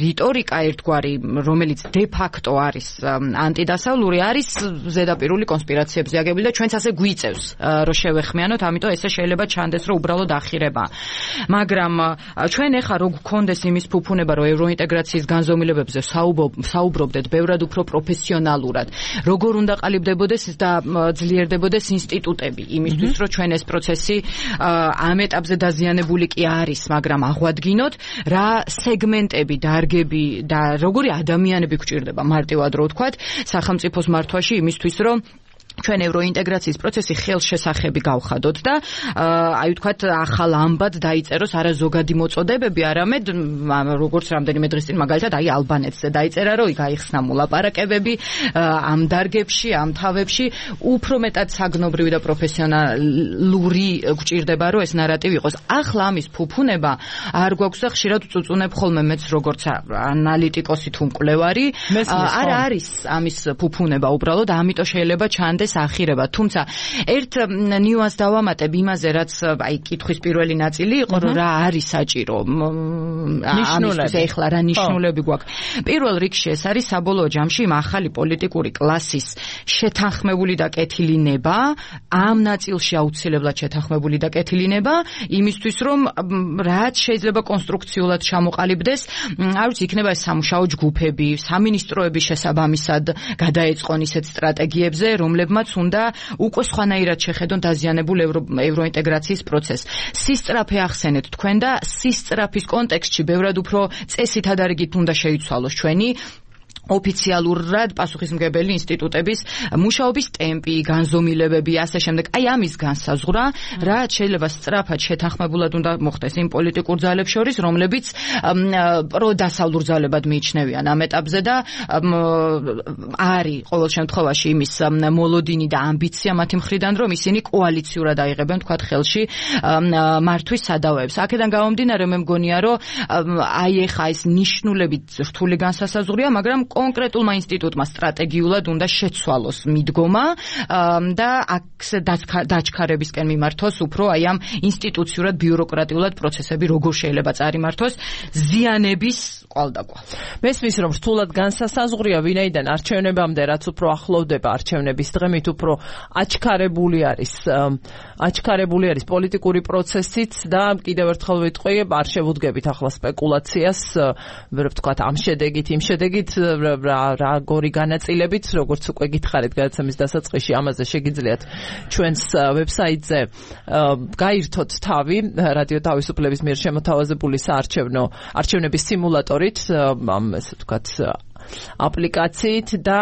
რიტორიკა ერთგვარი, რომელიც de facto არის ანტიდასავლური, არის ზედაპირული კონსპირაციებზე აგებული და ჩვენც ასე გვიწევს, რომ შევეხმიანოთ, ამიტომ ესე შეიძლება ჩანდეს, რომ უბრალოდ ახირება. მაგრამ ჩვენ ეხა რო გქონდეს იმის ფუფუნება, რომ ევროინტეგრაციის განზომილებებზე საუბრობდეთ ბევრად უფრო პროფესიონალურად, როგორ უნდა ყალიბდებოდეს და ძლიერდებოდეს ინსტიტუტები, იმისთვის, რომ ჩვენ ეს პროცესი ამ ეტაპზე დაზიანებული კი არის, მაგრამ აღვადგინოთ, რა სეგმენტები, დარგები და როგორი ადამიანები გვჭირდება მარტივად რო ვთქვათ სახელმწიფოს მართვაში იმისთვის რომ ჩვენ ევროინტეგრაციის პროცესი ხელშესახები გავხადოთ და აი ვთქვათ ახალ ამბად დაიწეროს არა ზოგადი მოწოდებები, არამედ როგორც რამდენიმე დღის წინ მაგალითად აი ალბანეთზე დაიწერა, რომ გაიხსნა მოლაპარაკებები ამ დარგებში, ამ თავებში, უფრო მეტად საგნობრივი და პროფესიონალური გვჭირდება, რომ ეს ნარატივი იყოს. ახლა ამის ფუფუნება არ გვაქვს და ხშირად წუწუნებ ხოლმე მეც როგორც ანალიტიკოსი თუ მკვლევარი, არ არის ამის ფუფუნება უბრალოდ, ამიტომ შეიძლება ჩანდეს მანამდე ახირება. თუმცა ერთ ნიუანსს დავამატებ იმაზე, რაც აი კითხვის პირველი ნაწილი იყო, რომ რა არის საჭირო. ამისთვის ეხლა რა ნიშნულები გვაქვს. პირველ რიგში ეს არის საბოლოო ჯამში ახალი პოლიტიკური კლასის შეთანხმებული და კეთილინება, ამ ნაწილში აუცილებლად შეთანხმებული და კეთილინება, იმისთვის რომ რაც შეიძლება კონსტრუქციულად ჩამოყალიბდეს, არ ვიცი, იქნება ეს სამუშაო ჯგუფები, სამინისტროების შესაბამისად გადაეწყონ ისეთ სტრატეგიებზე, რომლებმაც უნდა უკვე სხვანაირად შეხედონ დაზიანებულ ევროინტეგრაციის პროცესს. სისწრაფე ახსენეთ თქვენ და სისწრაფის კონტექსტში ბევრად უფრო წესითადარიგით უნდა შეიცვალოს ჩვენი ოფიციალურად პასუხისმგებელი ინსტიტუტების მუშაობის ტემპი, განზომილებები, ასე შემდეგ. აი ამის განსაზღვრა, რაც შეიძლება სწრაფად შეთანხმებულად უნდა მოხდეს იმ პოლიტიკურ ძალებს შორის, რომლებიც პროდასავლურ ძალებად მიიჩნევიან ამ ეტაპზე და არის ყოველ შემთხვევაში იმის მოლოდინი და ამბიცია მათი მხრიდან, რომ ისინი კოალიციურად აიღებენ თქვათ ხელში მართვის სადავეებს. აქედან გამომდინარე მე მგონია, რომ აი ეხა ეს ნიშნულებით რთული განსასაზღვრია, მაგრამ კონკრეტულმა ინსტიტუტმა სტრატეგიულად უნდა შეცვალოს მიდგომა და აქ დაჩქარებისკენ მიმართოს უფრო აი ამ ინსტიტუციურად ბიუროკრატიულად პროცესები როგორ შეიძლება წარიმართოს ზიანების ყვალდაკვალ. მესმის რომ რთულად განსასაზღვრია, ვინაიდან არჩევნებამდე რაც უფრო ახლოვდება არჩევნების დღე, მით უფრო აჩქარებული არის პოლიტიკური პროცესიც და კიდევ ერთხელ ვიტყვი, არ შევუდგებით ახლა სპეკულაციას, ვთქვათ ამ შედეგით, იმ შედეგით როგორი განაწილებით, როგორც უკვე გითხარით გადაცემის დასაწყისში, ამაზე შეგიძლიათ ჩვენს ვებსაიტზე გაირთოთ თავი, რადიო თავისუფლების მიერ შემოთავაზებული არჩევნების სიმულატორით, ესე ვთქვათ, აპლიკაციით და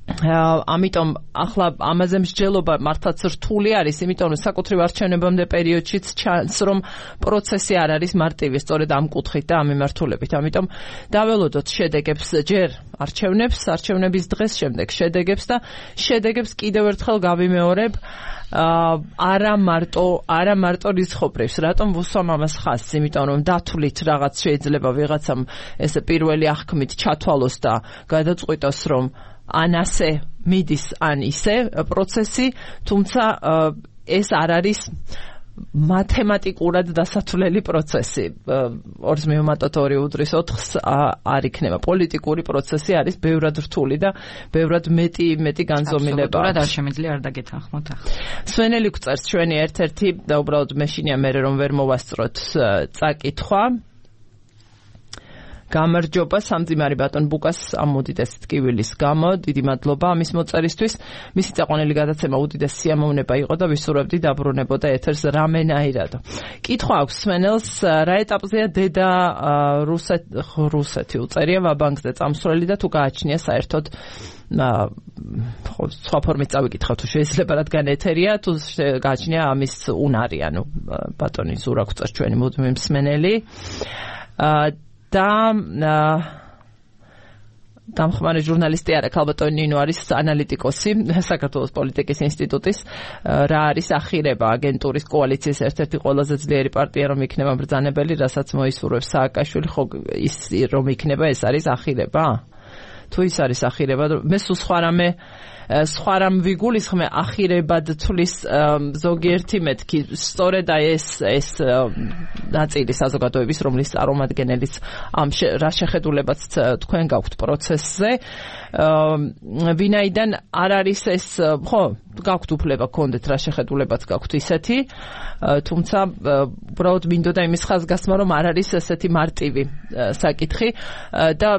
ამიტომ ახლა ამაზე მსჯელობა მართლაც რთული არის, იმიტომ რომ საკუთრივ არჩევნებამდე პერიოდშიც ჩანს, რომ პროცესი არ არის მარტივი, სწორედ ამ კუთხით და ამ მიმართულებით. ამიტომ დაველოდოთ შედეგებს ჯერ არჩევნების დღეს, შემდეგ შედეგებს და შედეგებს კიდევ ერთხელ გავიმეორებ, არა მარტო რიცხობრივს. რატომ ვუსვამ ამას ხაზს? იმიტომ რომ დათვლით რაღაც შეიძლება ვიღაცამ ესე პირველი აღქმით ჩათვალოს და გადაწყვიტოს, რომ ან ასე მიდის, ან ისე პროცესი, თუმცა ეს არ არის მათემატიკურად დასათვლელი პროცესი. 2 მივუმატოთ 2 უდრის 4-ს არ იქნება. პოლიტიკური პროცესი არის ბევრად რთული და ბევრად მეტი განზომილება. აბსოლუტურად არ შემიძლია არ დაგეთანხმოთ ახლა. სვენელი გვწერს ჩვენი ერთ-ერთი და უბრალოდ მეშინია მე რომ ვერ მოვასწროთ წაკითხვა. გამარჯობა სამძიმარი ბატონ ბუკას ამ უდიდესი ტკივილის გამო, დიდი მადლობა ამის მოწერისთვის. მისი წაყვანილი გადაცემა უდიდესი სიამოვნება იყო და ვისურვებდი დაბრუნებოდა ეთერს რამენაირადო. კითხვა აქვს სვენელს, რა ეტაპზეა დედა რუსეთი უწერია ვაბანკზე წამსვლელი და თუ გააჩნია საერთოდ სხვა ფორმით წავიკითხავ თუ შეიძლება, რადგან ეთერია, თუ გააჩნია ამის უნარი, ანუ ბატონი ზურა გვწერს ჩვენი მუდმივი მსმენელი. და დამხმარე ჟურნალისტი არა, ქალბატონი ნინო არის ანალიტიკოსი საქართველოს პოლიტიკის ინსტიტუტის. რა არის ახირება აგენტურის კოალიციის ერთ-ერთი ყველაზე ძლიერი პარტია რომ იქნება ბრძანებელი, რასაც მოისურვებს სააკაშვილი, ხო ის რომ იქნება ეს არის ახირება? თუ ის არის ახირება, მე სულ სხვა რამ ვიგულისხმე, ახირებად თulis ზოგიერთი მეთქი, სწორედ ეს ნაწილი საზოგადოების, რომლის წარმომადგენელიც ამ რა შეხედულებაც თქვენ გაქვთ პროცესზე, ვინაიდან არ არის ეს, ხო, გაქვთ უფლება გქონდეთ რა შეხედულებაც გაქვთ ისეთი, თუმცა უბრალოდ მინდოდა იმის ხაზგასმა, რომ არ არის ესეთი მარტივი საკითხი და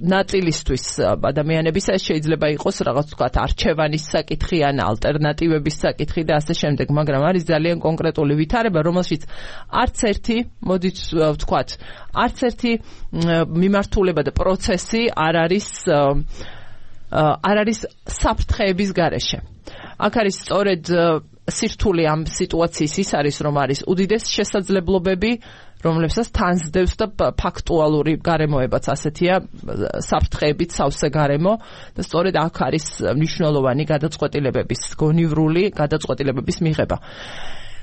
ნაწილისთვის ადამიანების ეს შეიძლება იყოს რაღაც თქვათ არჩევანის საკითხი ან ალტერნატივების საკითხი და ასე შემდეგ, მაგრამ არის ძალიან კონკრეტული ვითარება, რომელშიც არც ერთი, მოდით ვთქვათ, არც ერთი მიმართულება და პროცესი არ არის საფრთხეების გარეშე. აქ არის სწორედ სირთულე ამ სიტუაციის ის არის, რომ არის უდიდეს შესაძლებლობები, რომლებსაც თანსდევს და ფაქტუალური გარემოებაც ასეთია, საფრთხეებით სავსე გარემო და სწორედ აქ არის მნიშვნელოვანი გადაწყვეტილებების, გონივრული გადაწყვეტილებების მიღება.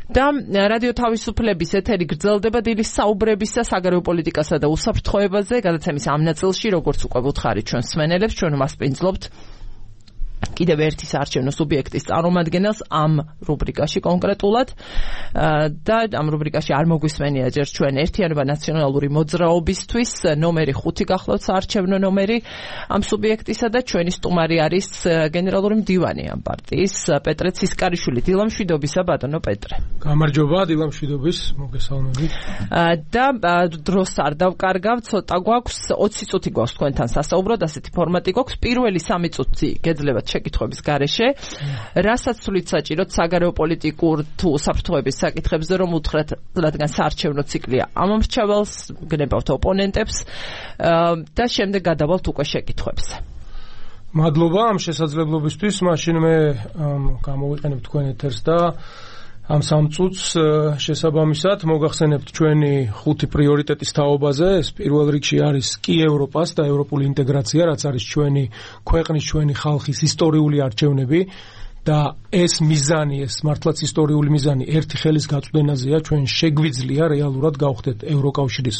და რადიო თავისუფლების ეთერი გრძელდება დილის საუბრებისა საგარეო პოლიტიკასა და უსაფრთხოებაზე, გადაცემის ამ ნაწილში, როგორც უკვე ვუთხარით ჩვენ სვენელებს, ჩვენ მასპინძლობთ კიდევ ერთი საარჩევნო სუბიექტის წარმომადგენელს ამ რუბრიკაში კონკრეტულად და ამ რუბრიკაში არ მოგვისმენია ჯერ ჩვენ ერთიანობა ნაციონალური მოძრაობისთვის ნომერი 5 გახლავთ საარჩევნო ნომერი ამ სუბიექტისა და ჩვენი სტუმარი არის გენერალური მდივანი ამ პარტიის პეტრე ცისკარიშვილი. დილამშვიდობისა ბატონო პეტრე. გამარჯობა, დილამშვიდობის, მოგესალმებით. და დროს არ დავკარგავ, ცოტა გვაქვს 20 წუთი გვაქვს თქვენთან სასაუბროდ, ასეთი ფორმატი გვაქვს. პირველი 3 წუთი გეძლებათ შეკითხვების გარეშე. რასაც სულით საჭიროთ საგარეო პოლიტიკურ თუ საფრთხეების საკითხებზე რომ უთხრათ, რადგან საარჩევნო ციკლია ამომრჩეველს, გნებავთ ოპონენტებს და შემდეგ გადავალთ უკვე შეკითხვებს. მადლობა ამ შესაძლებლობისთვის, მაშინ მე გამოვიყენებ თქვენ ეთერს და ამ 3 წუთს შესაბამისად მოგახსენებთ ჩვენი 5 პრიორიტეტის თაობაზე. ეს პირველ რიგში არის კი ევროპას და ევროპული ინტეგრაცია, რაც არის ჩვენი ქვეყნის, ჩვენი ხალხის ისტორიული არჩევნები და ეს მიზანი, ეს მართლაც ისტორიული მიზანი ერთი ხელის გაწვდენაზეა. ჩვენ შეგვიძლია რეალურად გავხდეთ ევროკავშირის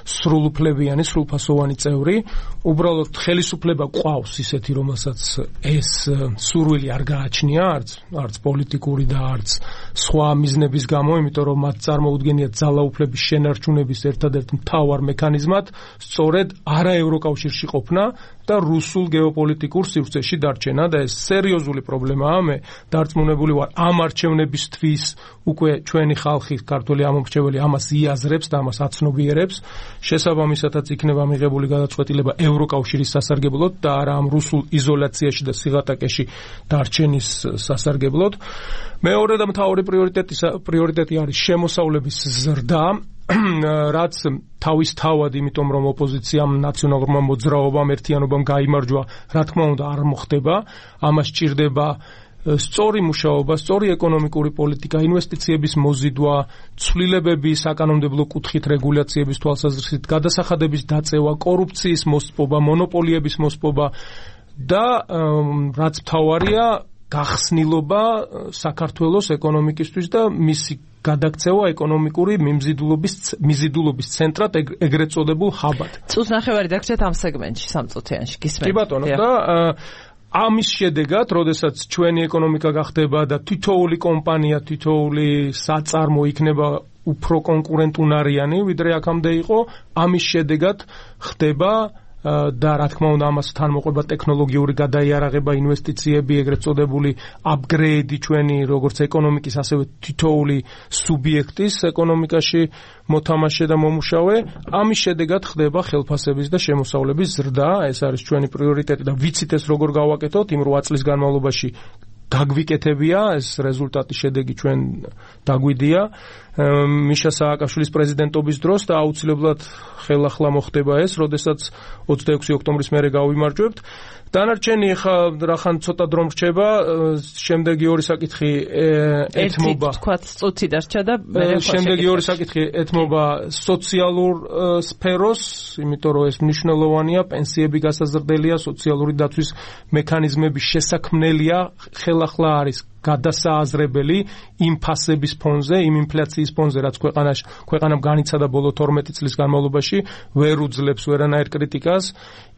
სრულუფლებიანი, სრულფასოვანი წევრი. უბრალოდ ხელისუფლება ყავს ისეთი, რომელსაც ეს სურვილი არ გააჩნია, არც პოლიტიკური და არც სხვა მიზნების გამო, იმიტომ რომ მათ წარმოუდგენიათ ძალაუფლების შენარჩუნების ერთადერთ მთავარ მექანიზმად სწორედ არა ევროკავშირში ყოფნა და რუსულ გეოპოლიტიკურ სივრცეში დარჩენა და ეს სერიოზული პრობლემაა. მე დარწმუნებული ვარ, ამ არჩევნებისთვის უკვე ჩვენი ხალხი, ქართველი ამომრჩეველი ამას იაზრებს და ამას აცნობიერებს. შესაბამისადაც იქნება მიღებული გადაწყვეტილება ევროკავშირის სასარგებლოდ და არა ამ რუსულ იზოლაციაში და სიღატაკეში დარჩენის სასარგებლოდ. მეორე და მთავარი პრიორიტეტი არის შემოსავლების ზრდა, რაც თავისთავად, იმიტომ რომ ოპოზიციამ, ნაციონალურმა მოძრაობამ, ერთიანობამ გაიმარჯვა, რა თქმა უნდა არ მოხდება. ამას სჭირდება სწორი მუშაობა, სწორი ეკონომიკური პოლიტიკა, ინვესტიციების მოზიდვა, ცვლილებები საკანონმდებლო კუთხით რეგულაციების თვალსაზრისით, გადასახადების დაწევა, კორუფციის მოსპობა, მონოპოლიების მოსპობა და რაც მთავარია, გახსნილობა საქართველოს ეკონომიკისთვის და მისი გადაქცევა ეკონომიკური მიზიდულობის ცენტრად, ეგრეთ წოდებულ ჰაბად. წუთს ნახევარი დაგჭირეთ ამ სეგმენტში, 3 წუთიანში გისმენთ. კი ბატონო, და ამის შედეგად, როდესაც ჩვენი ეკონომიკა გახდება და თითოეული კომპანია, თითოეული საწარმო იქნება უფრო კონკურენტუნარიანი, ვიდრე აქამდე იყო, ამის შედეგად ხდება და რა თქმა უნდა ამას თან მოყვება ტექნოლოგიური გადაიარაღება, ინვესტიციები, ეგრეთ წოდებული აპგრეიდი ჩვენი როგორც ეკონომიკის, ასევე თითოეული სუბიექტის ეკონომიკაში მოთამაშე და მომუშავე. ამის შედეგად ხდება ხელფასების და შემოსავლების ზრდა. ეს არის ჩვენი პრიორიტეტი და ვიცით ეს როგორ გავაკეთოთ იმ 8 წლის განმავლობაში. გაგვიკეთებია ეს რეზულტატი, შედეგი ჩვენ დაგვიდია მიშა სააკაშვილის პრეზიდენტობის დროს და აუცილებლად ხელახლა მოხდება ეს, როდესაც 26 ოქტომბრის მერე გავიმარჯვებთ. დანარჩენი რახან ცოტა დრო რჩება, შემდეგი ორი საკითხი ეთმობა. თქვათ წუთი დარჩა და შემდეგი ორი საკითხი ეთმობა სოციალურ სფეროს, იმიტომ რომ ეს მნიშვნელოვანია, პენსიები გასაზრდელია, სოციალური დაცვის მექანიზმები შესაქმნელია, ხელახლა არის გადასააზრებელი იმ ფასების ფონზე, იმ ინფლაციის ფონზე, რაც ქვეყანამ განიცადა ბოლო 12 წლის განმავლობაში, ვერ უძლებს ვერანაირ კრიტიკას.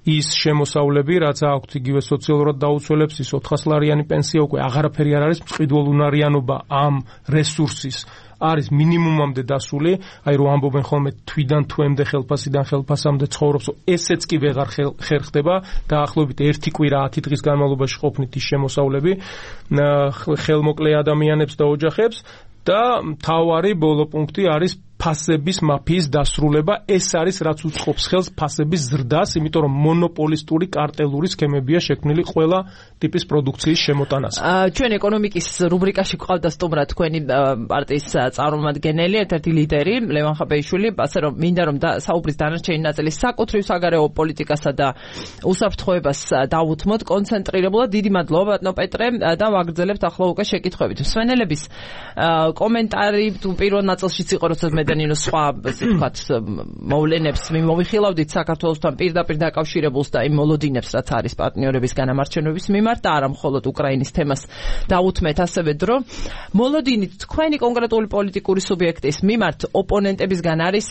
ის შემოსავლები, რაც აქვთ იგივე სოციალურად დაუცველებს, ის 400-ლარიანი პენსია უკვე აღარაფერი არ არის, მწყიდველუნარიანობა ამ რესურსის არის მინიმუმამდე დასული, აი რომ ამბობენ ხოლმე თვიდან თვემდე ხელფასიდან ხელფასამდე ცხოვრობს, ესეც კი ვეღარ ხერხდება, დაახლოებით 1 კვირა 10 დღის განმავლობაში ყოფნით ის შემოსავლები ხელმოკლე ადამიანებს და ოჯახებს და მთავარი ბოლო პუნქტი არის ფასების მაფიის დასრულება. ეს არის რაც უწყობს ხელს ფასების ზრდას, იმიტომ რომ მონოპოლისტური კარტელური სქემებია შექმნილი ყველა ტიპის პროდუქციის შემოტანას. ჩვენ ეკონომიკის რუბრიკაში გვყავდა სტუმრად თქვენი პარტიის წარმომადგენელი, ერთ-ერთი ლიდერი ლევან ხაბეიშვილი, ასე რომ მინდა რომ საუბრის დანარჩენი ნაწილი საკუთრივ საგარეო პოლიტიკასა და უსაფრთხოებას დავუთმოთ კონცენტრირებულად. დიდი მადლობა ბატონო პეტრე და ვაგრძელებთ ახლა უკვე შეკითხვებით. მსვენელების კომენტარი თუ პირველ ნაწილშიც იყო, როცა ნინო სხვა ასე ვთქვათ მოვლენებს მიმოვიხილავდით საქართველოსთან პირდაპირ დაკავშირებულს და იმ მოლოდინებს, რაც არის პარტნიორების განამარჩენების მიმართ და არა მხოლოდ უკრაინის თემას დაუთმეთ ასევე დრო. მოლოდინით თქვენი კონკრეტული პოლიტიკური სუბიექტის მიმართ ოპონენტებისგან არის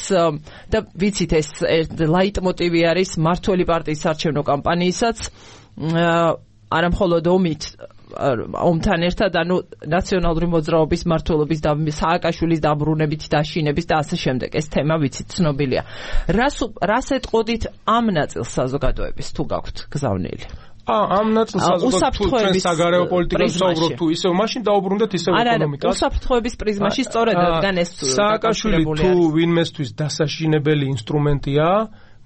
და ვიცით ეს ლაიტმოტივი არის მართველი პარტიის საარჩევნო კამპანიისაც არა მხოლოდ ომთან ერთად, ანუ ნაციონალური მოძრაობის მმართველობის და სააკაშვილის დაბრუნებით დაშინების და ასე შემდეგ. ეს თემა ვიცით ცნობილია. რას ეტყოდით ამ ნაწილს საზოგადოების თუ გაქვთ გზავნილი? ამ ნაწილს საზოგადოების საგარეო პოლიტიკას ვსაუბრობ თუ ისევ მაშინ დაუბრუნდეთ ისევ ეკონომიკას. უსაფრთხოების პრიზმაში სწორედ რადგან ეს სააკაშვილი თუ ვინმესთვის დასაშინებელი ინსტრუმენტია,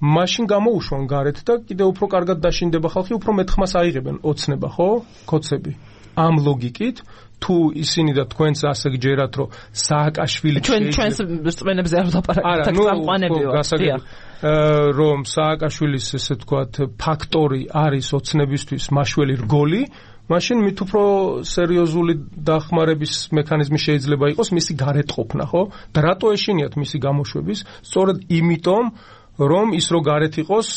მაშინ გამოუშვან გარეთ და კიდევ უფრო კარგად დაშინდება ხალხი, უფრო მეტ ხმას აიღებენ ოცნება, ხო? კოცები. ამ ლოგიკით თუ ისინი და თქვენც ასე გჯერათ, რომ სააკაშვილი ჩვენს რწმენებზე არ ვლაპარაკობთ, სამყანებიო. რომ სააკაშვილის ესე ვთქვათ ფაქტორი არის ოცნებისთვის მაშველი რგოლი, მაშინ მით უფრო სერიოზული დახმარების მექანიზმი შეიძლება იყოს მისი გარეთყოფნა, ხო? და რატო ეშინიათ მისი გამოშვების? სწორედ იმიტომ, რომ ის რო გარეთ იყოს,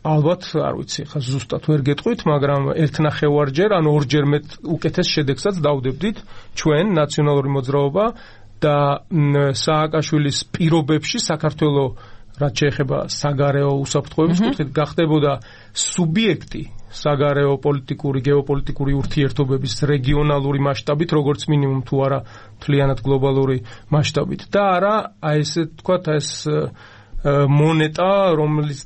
ალბათ არ ვიცი, ხა ზუსტად ვერ გეტყვით, მაგრამ ერთნახევარჯერ, ან ორჯერ მეტ უკეთეს შედეგსაც დავდებდით ჩვენ ნაციონალური მოძრაობა და სააკაშვილის პირობებში საქართველოს რაც შეეხება საგარეო უსაფრთხოების კუთხით გახდებოდა სუბიექტი საგარეო პოლიტიკური, გეოპოლიტიკური ურთიერთობების რეგიონალური მასშტაბით, როგორც მინიმუმ თუ არა მთლიანად გლობალური მასშტაბით და არა აი ესე თქვათ ეს მონეტა,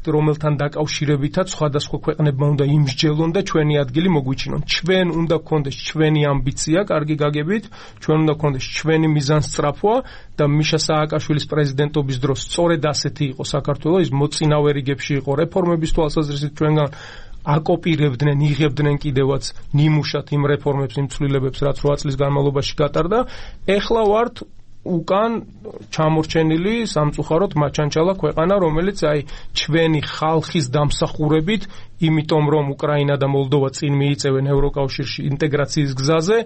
რომელთან დაკავშირებითაც სხვადასხვა ქვეყნებმა უნდა იმსჯელონ და ჩვენი ადგილი მოგვიჩინონ. ჩვენ უნდა გქონდეს ჩვენი ამბიცია, კარგი გაგებით, ჩვენ უნდა გქონდეს ჩვენი მიზანსწრაფვა და მიშა სააკაშვილის პრეზიდენტობის დროს სწორედ ასეთი იყო საქართველო, ის მოწინავე რიგებში იყო რეფორმების თვალსაზრისით ჩვენგან აკოპირებდნენ, იღებდნენ კიდევაც ნიმუშად იმ რეფორმებს, იმ ცვლილებებს, რაც 8 წლის განმავლობაში გატარდა. ეხლა ვართ უკან ჩამორჩენილი სამწუხაროდ მაჩანჩალა ქვეყანა, რომელიც აი ჩვენი ხალხის დამსახურებით, იმიტომ რომ უკრაინა და მოლდოვა წინ მიიწევენ ევროკავშირში ინტეგრაციის გზაზე,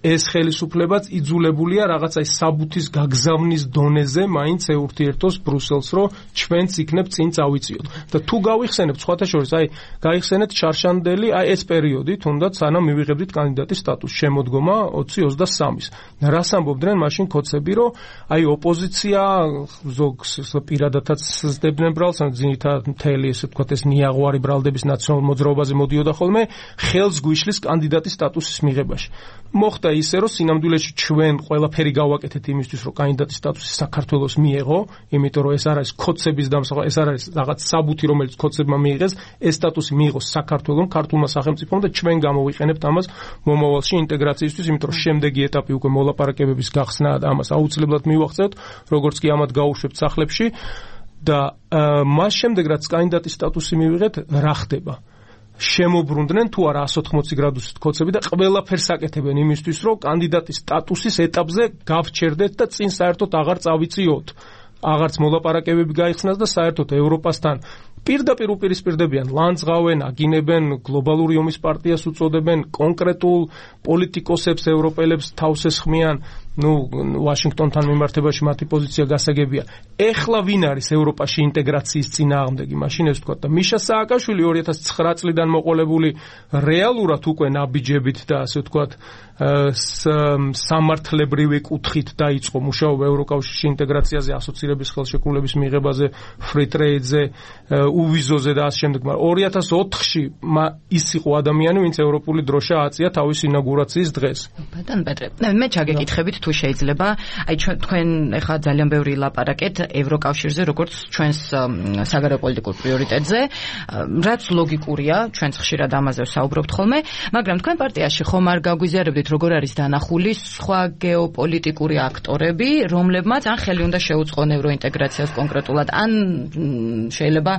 ეს ხელისუფლებაც იძულებულია რაღაცა საბუთის გაგზავნის დონეზე მაინც ეურთიერთოს ბრუსელს, რომ ჩვენც იქნებ წინ წავიწიოთ. და თუ გავიხსენებთ სხვათა შორის, აი გაიხსენეთ შარშანდელი, აი ეს პერიოდი, თუნდაც სანამ მივიღებდით კანდიდატის სტატუსს, შემოდგომა 2023-ის. რას ამბობდნენ მაშინ კოცები, რომ აი ოპოზიცია ზოგს პირადადაც ზრდებდნენ ბრალს, ან ძირითადად მთელი ესე ვთქვათ ეს ნიაღვარი ბრალდების ნაციონალურ მოძრაობაზე მოდიოდა ხოლმე, ხელს გვიშლის კანდიდატის სტატუსის მიღებაში. მოხდა ისე, რომ სინამდვილეში ჩვენ ყველაფერი გავაკეთეთ იმისთვის, რომ კანდიდატის სტატუსი საქართველოს მიეღო, იმიტომ რომ ეს არ არის კოცების დამსახურება, ეს არ არის რაღაც საბუთი, რომელიც კოცებმა მიიღეს, ეს სტატუსი მიიღოს საქართველოს, ქართულმა სახელმწიფომ და ჩვენ გამოვიყენებთ ამას მომავალში ინტეგრაციისთვის, იმიტომ რომ შემდეგი ეტაპი უკვე მოლაპარაკებების გახსნაა და ამას აუცილებლად მივახცევთ, როგორც კი ამათ გაუშვებთ სახლებში და მას შემდეგ რაც კანდიდატის სტატუსი მივიღეთ, რა ხდება? შემოbrunდნენ თუ არა 180 გრადუსით კოცები და ყველაფერს აკეთებენ იმისთვის, რომ კანდიდატის სტატუსის ეტაპზე გავჩერდეთ და წინ საერთოდ აღარ წავიწიოთ. აღარც მოლაპარაკებები გაიხსნას და საერთოდ ევროპასთან პირდაპირ უპირისპირდებიან, ლანძღავენ, აგინებენ, გლობალური ომის პარტიას უწოდებენ, კონკრეტულ პოლიტიკოსებს, ევროპელებს თავს ესხმიან, ვაშინგტონთან მიმართებაში მათი პოზიცია გასაგებია. ეხლა ვინ არის ევროპაში ინტეგრაციის წინააღმდეგი? მაშინ ეს ვთქვათ და მიშა სააკაშვილი 2009 წლიდან მოყოლებული რეალურად უკვე ნაბიჯებით და ასე ვთქვათ სამართლებრივი კუთხით დაიწყო მუშაობა ევროკავშირში ინტეგრაციაზე, ასოცირების ხელშეკრულების მიღებაზე, free trade-ზე, უვიზოზე და ასე შემდეგ. მაგრამ 2004-ში ის იყო ადამიანი, ვინც ევროპული დროშა აწია თავის ინაugurაციის დღეს. ბატონ პეტრე, მე ჩაგეკითხებით თუ შეიძლება, აი თქვენ ახლა ძალიან ბევრი ლაპარაკეთ ევროკავშირზე, როგორც ჩვენს საგარეო პოლიტიკურ პრიორიტეტზე, რაც ლოგიკურია, ჩვენც ხშირად ამაზე ვსაუბრობთ ხოლმე, მაგრამ თქვენ პარტიაში ხომ არ გაგვიზიარებდით, როგორ არის დანახული სხვა გეოპოლიტიკური აქტორები, რომლებმაც ან ხელი უნდა შეუწყონ ევროინტეგრაციას კონკრეტულად, ან შეიძლება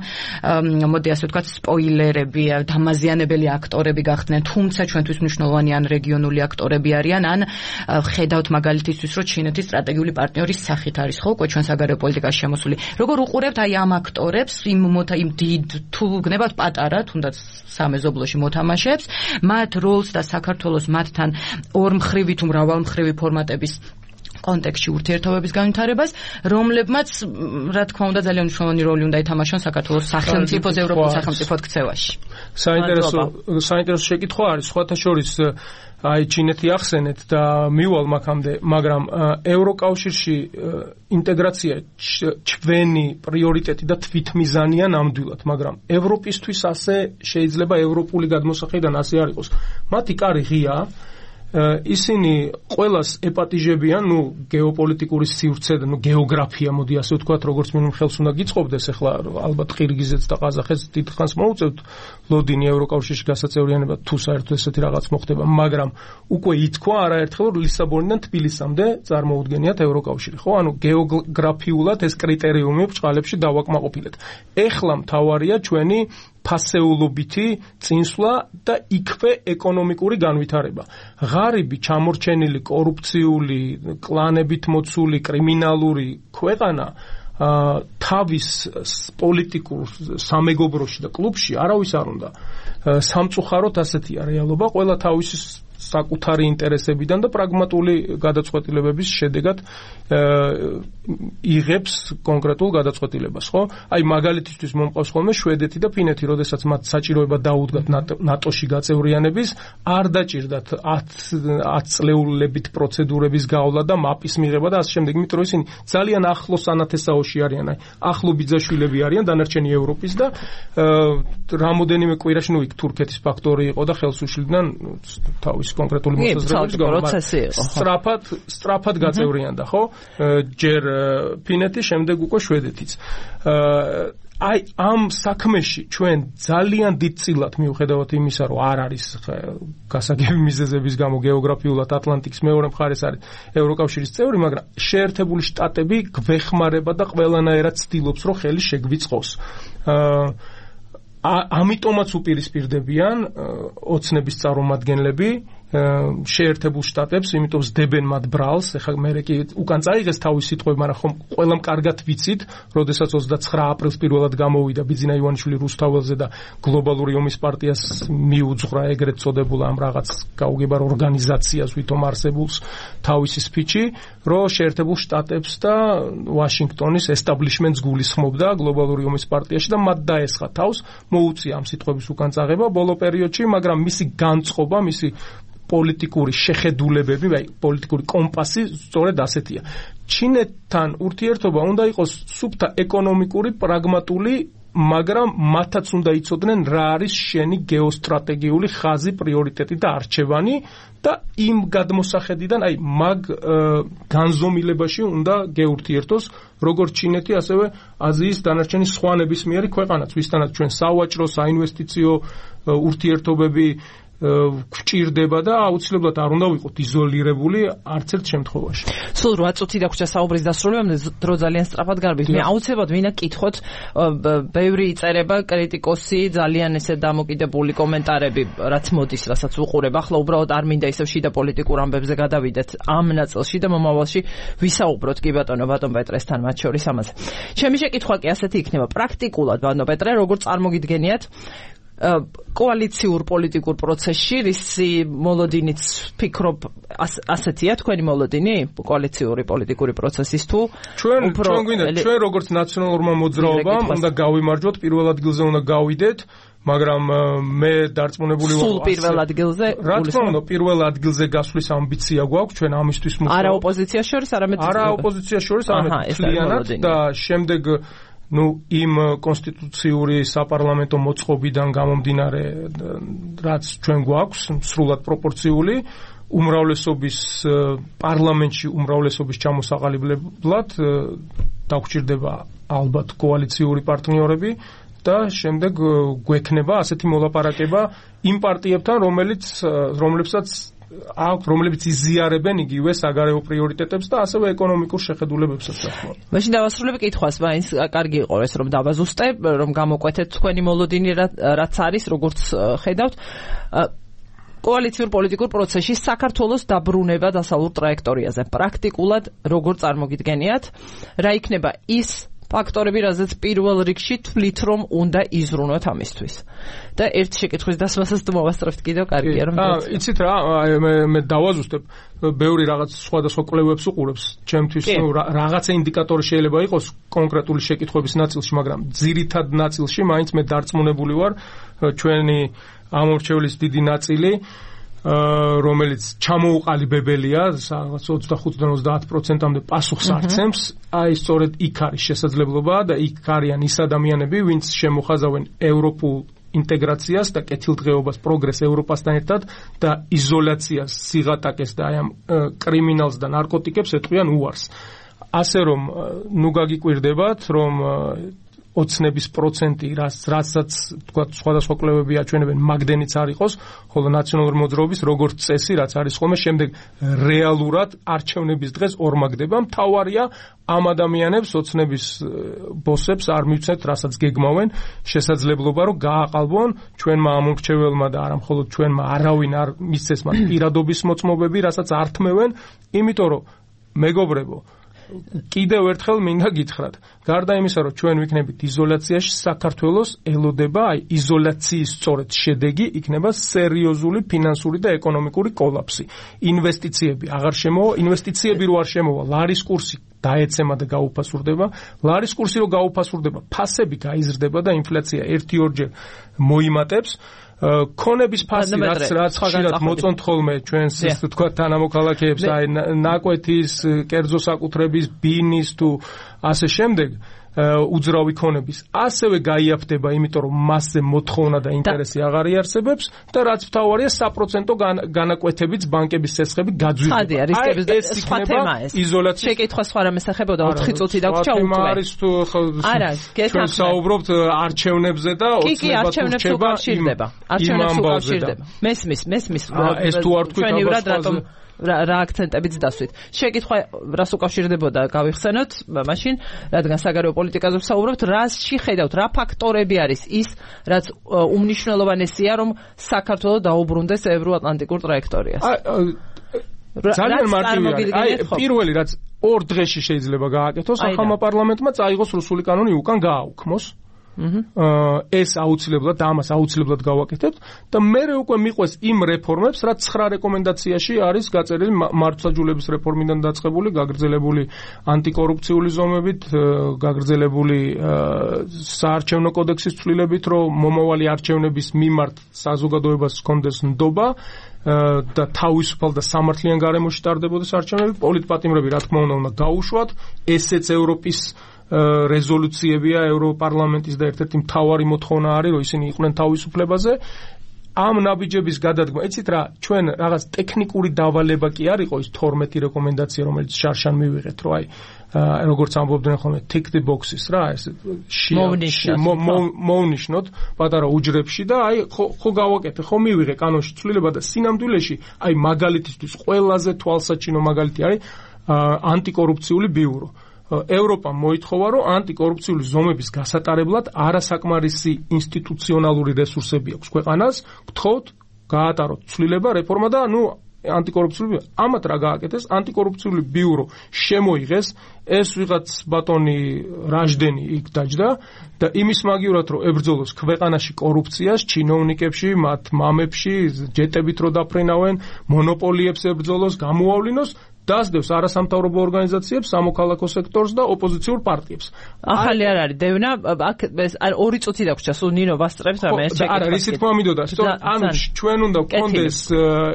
მოდი ასე ვთქვათ სპოილერები, დამაზიანებელი აქტორები გახდნენ, თუმცა ჩვენთვის მნიშვნელოვანი ან რეგიონული აქტორები არიან, ან ხედავთ მაგალითისთვის, რომ ჩინეთის სტრატეგიული პარტნიორის სახით არის ხო უკვე ჩვენ საგარეო პოლიტიკაში შემოსული. როგორ უყურებთ აი ამ აქტორებს, იმ დიდ თუ გნებავთ პატარა, თუნდაც სამეზობლოში მოთამაშეებს, მათ როლს და საქართველოს მათთან ორმხრივი თუ მრავალმხრივი ფორმატების კონტექსტში ურთიერთობების განვითარებას, რომლებმაც რა თქმა უნდა ძალიან მნიშვნელოვანი როლი უნდა ითამაშონ საქართველოს სახელმწიფოს ევროპულ სახელმწიფოდ ქცევაში. საინტერესო შეკითხვა არის, სხვათა შორის აი ჩინეთი ახსენეთ და მივალ მაგამდე, მაგრამ ევროკავშირში ინტეგრაცია ჩვენი პრიორიტეტი და თვითმიზანია ნამდვილად, მაგრამ ევროპისთვის ასე შეიძლება ევროპული გადმოსახედიდან ასე არ იყოს. მათი კარი ღია, ისინი ყველას ეპატიჟებიან, გეოპოლიტიკური სივრცე და გეოგრაფია, მოდი ასე ვთქვათ, როგორც მინიმუმ ხელს უნდა გიწყობდეს, ახლა ალბათ ყირგიზეთს და ყაზახეთს დიდხანს მოუწევთ ლოდინი ევროკავშირში გასაწევრიანება, თუ საერთოდ ესეთი რაღაც მოხდება, მაგრამ უკვე ითქვა არაერთხელ, რომ ლისაბონიდან თბილისამდე წარმოუდგენიათ ევროკავშირი, ხო? ანუ გეოგრაფიულად ეს კრიტერიუმი ბჭყალებში დავაკმაყოფილეთ. ეხლა მთავარია ჩვენი ფასეულობითი წინსვლა და იქვე ეკონომიკური განვითარება. ღარიბი, ჩამორჩენილი, კორუფციული, კლანებით მოცული, კრიმინალური ქვეყანა თავის პოლიტიკურ სამეგობროში და კლუბში არავის არ უნდა. სამწუხაროდ ასეთია რეალობა, ყველა თავის საკუთარი ინტერესებიდან და პრაგმატული გადაწყვეტილებების შედეგად იღებს კონკრეტულ გადაწყვეტილებას, ხო? აი მაგალითისთვის მომყავს ხოლმე შვედეთი და ფინეთი, როდესაც მათ საჭიროება დაუდგათ ნატოში გაწევრიანების, არ დაჭირდათ 10 წლეულებით პროცედურების გავლა და მაპის მიღება და ასე შემდეგ, იმიტომ რომ ისინი ძალიან ახლოს ანათესაოში არიან, აი ახლო ბიძაშვილები არიან დანარჩენი ევროპის და რამოდენიმე კვირაში იქ თურქეთის ფაქტორი იყო და ხელს უშლიდნენ თავის კონკრეტული მოსაზრებების გამო. სწრაფად გაწევრიანდა, ხო? ჯერ ფინეთი, შემდეგ უკვე შვედეთიც. აი ამ საქმეში ჩვენ ძალიან დიდწილად მიუხედავად იმისა, რომ არ არის გასაგები მიზეზების გამო გეოგრაფიულად ატლანტიკის მეორე მხარეს არის ევროკავშირის წევრი, მაგრამ შეერთებული შტატები გვეხმარება და ყველანაირად ცდილობს, რომ ხელი შეგვიწყოს. ამიტომაც უპირისპირდებიან ოცნების წარმომადგენლები შეერთებულ შტატებს, იმიტომ ზდებენ მათ ბრალს, ეხლა მე კი უკან წაიღეს თავის სიტყვები, მაგრამ ხომ ყველამ კარგად ვიცით, როდესაც 29 აპრილს პირველად გამოვიდა ბიძინა ივანიშვილი რუსთაველზე და გლობალური ომის პარტიას მიუძღვრა ეგრეთ წოდებულ ამ რაღაც გაუგებარ ორგანიზაციას, ვითომ არსებულს თავისი სპიჩი, რომ შეერთებულ შტატებს და ვაშინგტონის ესტაბლიშმენტს გულისხმობდა გლობალური ომის პარტიაში და მათ დაესხა თავს, მოუწია ამ სიტყვების უკან წაღება ბოლო პერიოდში, მაგრამ მისი განწყობა, მისი პოლიტიკური შეხედულებები, აი პოლიტიკური კომპასი სწორედ ასეთია. ჩინეთთან ურთიერთობა უნდა იყოს სუფთა ეკონომიკური, პრაგმატული, მაგრამ მათაც უნდა იცოდნენ რა არის შენი გეოსტრატეგიული ხაზი, პრიორიტეტი და არჩევანი და იმ გადმოსახედიდან, აი მაგ განზომილებაში უნდა გეურთიერთოს როგორც ჩინეთი, ასევე აზიის დანარჩენი სხვა ნებისმიერი ქვეყანაც, ვისთანაც ჩვენ სავაჭრო, საინვესტიციო ურთიერთობები გვჭირდება და აუცილებლად არ უნდა ვიყოთ იზოლირებული არც ერთ შემთხვევაში. სულ 8 წუთი დაგვრჩა საუბრის დასრულებამდე, დრო ძალიან სწრაფად გარბით. მე აუცილებლად ვინა კითხოთ, ბევრი იწერება კრიტიკოსი, ძალიან ესე დამოკიდებული კომენტარები, რაც მოდის, რასაც უყურებ. ახლა უბრალოდ არ მინდა ისევ შიდა პოლიტიკურ ამბებზე გადავიდეთ ამ ნაწილში და მომავალში ვისაუბროთ კი ბატონო პეტრესთან მათ შორის ამაზე. ჩემი შეკითხვა კი ასეთი იქნება, პრაქტიკულად ბატონო პეტრე, როგორ წარმოგიდგენიათ კოალიციურ პოლიტიკურ პროცესში, რისი მოლოდინიც ფიქრობ ასეთია თქვენი მოლოდინი კოალიციური პოლიტიკური პროცესის თუ ჩვენ გვინდა ჩვენ როგორც ნაციონალურმა მოძრაობამ უნდა გავიმარჯვოთ, პირველ ადგილზე უნდა გავიდეთ, მაგრამ მე დარწმუნებული ვარ სულ პირველ ადგილზე რა თქმა უნდა პირველ ადგილზე გასვლის ამბიცია გვაქვს ჩვენ ამისთვის არა ოპოზიციაში შორის არამედ არა ოპოზიციაში შორის არამედ მთლიანად და შემდეგ იმ კონსტიტუციური საპარლამენტო მოწყობიდან გამომდინარე, რაც ჩვენ გვაქვს, სრულად პროპორციული, უმრავლესობის პარლამენტში უმრავლესობის ჩამოსაყალიბებლად დაგვჭირდება ალბათ კოალიციური პარტნიორები და შემდეგ გვექნება ასეთი მოლაპარაკება იმ პარტიებთან, რომლებსაც რომლებიც იზიარებენ იგივე საგარეო პრიორიტეტებს და ასევე ეკონომიკურ შეხედულებებსაც. მაშინ დავასრულებ კითხვას, მაინც კარგი იყო ეს რომ დავაზუსტე, რომ გამოკვეთეთ თქვენი მოლოდინი რაც არის, როგორც ხედავთ კოალიციურ პოლიტიკურ პროცესში საქართველოს დაბრუნება დასავლურ ტრაექტორიაზე. პრაქტიკულად როგორ წარმოგიდგენიათ, რა იქნება ის ფაქტორები, რაზეც პირველ რიგში თვლით, რომ უნდა იზრუნოთ ამისთვის. და ერთ შეკითხვის დასმასაც მოვასწრებთ კიდევ, კარგია რომ იცით რა, მე დავაზუსტებ, ბევრი რაღაც სხვადასხვა კვლევებს უყურებს, ჩემთვის რაღაცა ინდიკატორი შეიძლება იყოს კონკრეტული შეკითხვების ნაწილში, მაგრამ ძირითად ნაწილში მაინც მე დარწმუნებული ვარ, ჩვენი ამორჩევლის დიდი ნაწილი რომელიც ჩამოუყალიბებელია, რაღაც 25-30%-მდე პასუხს არცემს, აი სწორედ იქ არის შესაძლებლობა და იქ არიან ის ადამიანები, ვინც შემოხაზავენ ევროპულ ინტეგრაციას და კეთილდღეობას, პროგრესს ევროპასთან ერთად და იზოლაციას, სიღატაკეს და აი ამ კრიმინალს და ნარკოტიკებს ეტყვიან უარს. ასე რომ, ნუ გაგიკვირდებათ, რომ ოცნების პროცენტი, რასაც თქვა სხვადასხვა კვლევები აჩვენებენ, მაგდენიც არ იყოს, ხოლო ნაციონალური მოძრაობის როგორც წესი, რაც არის ხოლმე, შემდეგ რეალურად არჩევნების დღეს ორმაგდება. მთავარია ამ ადამიანებს, ოცნების ბოსებს არ მივცეთ, რასაც გეგმავენ, შესაძლებლობა, რომ გააყალბონ ჩვენმა ამორჩეველმა და არა მხოლოდ ჩვენმა არავინ არ მისცეს მათ პირადობის მოწმობები, რასაც ართმევენ, იმიტომ რომ მეგობრებო, კიდევ ერთხელ მინდა გითხრათ, გარდა იმისა, რომ ჩვენ ვიქნებით იზოლაციაში, საქართველოს ელოდება, აი იზოლაციის სწორედ შედეგი იქნება სერიოზული ფინანსური და ეკონომიკური კოლაფსი. ინვესტიციები აღარ შემოვა, ინვესტიციები რო არ შემოვა, ლარის კურსი დაეცემა და გაუფასურდება, ლარის კურსი რო გაუფასურდება, ფასები გაიზრდება და ინფლაცია 1-2 მოიმატებს. ქონების ფასი რაც ხშირად მოწონთ ხოლმე ჩვენს ისე თქვა თანამოქალაქეებს, აი ნაკვეთის, კერძო საკუთრების, ბინის თუ ასე შემდეგ უძრავი ქონების ასევე გაიაფდება, იმიტომ რომ მასზე მოთხოვნა და ინტერესი აღარ იარსებებს და რაც მთავარია საპროცენტო განაკვეთებიც ბანკების წესხები გაძვირდება. ხადი არის სხვა თემა ეს. იზოლაცია. შეკითხვა სხვა რამეს ეხებოდა 4 წუთი დაგვრჩა უკვე. არის თუ ჩვენ საუბრობთ არჩევნებზე და ოცნებად რჩება. არჩევნებს უკავშირდება. მესმის. ეს თუ არ თქვით რატომ რა აქცენტებიც დასვით. შეკითხვა რას უკავშირდებოდა გავიხსენოთ, მაშინ რადგან საგარეო პოლიტიკაზე ვსაუბრობთ, რასში ხედავთ, რა ფაქტორები არის ის, რაც უმნიშვნელოვანესია, რომ საქართველოს დაუბრუნდეს ევროატლანტიკურ ტრაექტორიას. ძალიან მარტივია. აი პირველი რაც 2 დღეში შეიძლება გააკეთოს, ახალმა პარლამენტმა წაიღოს რუსული კანონი უკან გააუქმოს. ეს აუცილებლად და ამას აუცილებლად გავაკეთებთ და მე უკვე მიყვეს იმ რეფორმებს, რაც 9 რეკომენდაციაში არის გაწერილი მართლმსაჯულების რეფორმიდან დაწყებული, გაგრძელებული ანტიკორუფციული ზომებით, გაგრძელებული საარჩევნო კოდექსის ცვლილებით, რომ მომავალი არჩევნების მიმართ საზოგადოებას ჰქონდეს ნდობა და თავისუფალ და სამართლიან გარემოში ტარდებოდეს არჩევნები, პოლიტპატიმრები რა თქმა უნდა გაუშვათ, ესეც ევროპის რეზოლუციებია ევროპარლამენტის და ერთ-ერთი მთავარი მოთხოვნა არის, რომ ისინი იყვნენ თავისუფლებაზე. ამ ნაბიჯების გადადგმა, იცით რა, ჩვენ რაღაც ტექნიკური დავალება კი არ იყო ის 12 რეკომენდაცია, რომელიც შარშან მივიღეთ, რომ აი როგორც ამბობდნენ ხოლმე tick the boxes რა, ეს მოვნიშნოთ პატარა უჯრებში და აი ხო გავაკეთე, ხო მივიღე კანონში ცვლილება და სინამდვილეში აი მაგალითისთვის ყველაზე თვალსაჩინო მაგალითი არის ანტიკორუფციული ბიურო. ევროპამ მოითხოვა, რომ ანტიკორუფციული ზომების გასატარებლად არასაკმარისი ინსტიტუციონალური რესურსები აქვს ქვეყანას, გთხოვთ, გაატაროთ ცვლილება, რეფორმა და ანტიკორუფციული ამათ რა გააკეთეს, ანტიკორუფციული ბიურო შემოიღეს, ეს ვიღაც ბატონი რაჟდენი იქ დაჯდა და იმის მაგივრად რომ ებრძოლოს ქვეყანაში კორუფციას, ჩინოვნიკებში, მათ მამებში, ჯეტებით რო დაფრენავენ, მონოპოლიებს ებრძოლოს, გამოავლინოს, დასდევს არასამთავრობო ორგანიზაციებს, სამოქალაქო სექტორს და ოპოზიციურ პარტიებს. ახალი არ არის დევნა, აქ ეს 2 წუთი დაგვრჩა, სულ ნინო ვასწრებს რამე ეს შეკითხვა. არა, რისი თქმა მინდოდა, ანუ ჩვენ უნდა გქონდეს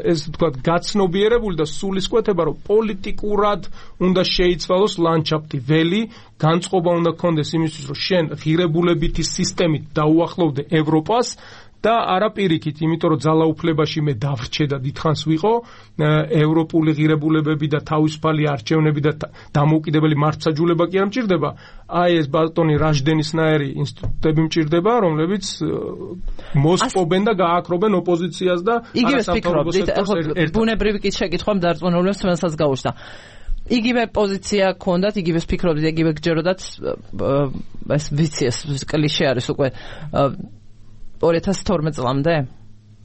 ეს თქვა გაცნობიერებული და სულისკვეთება, რომ პოლიტიკურად უნდა შეიცვალოს ლანდშაფტი, ველი, განწყობა უნდა გქონდეს იმისთვის, რომ შენ ღირებულებითი სისტემით დაუახლოვდე ევროპას და არა პირიქით, იმიტომ რომ ძალაუფლებაში მე დავრჩე და დიდხანს ვიყო, ევროპული ღირებულებები და თავისუფალი არჩევნები და დამოუკიდებელი მართლმსაჯულება კი არ მჭირდება. აი ეს ბატონი რაჟდენისნაირი ინსტიტუტები მჭირდება, რომლებიც მოსპობენ და გააკრობენ ოპოზიციას და არასამთავრობო სექტორს. ბუნებრივი კი შეკითხვამ დარწმუნებულებს რომელსაც გაუჩნდა. იგივე პოზიცია გქონდათ, იგივეს ფიქრობდით, იგივე გჯეროდათ, ეს ვიცი, ეს კლიშე არის უკვე 2012 წლამდე?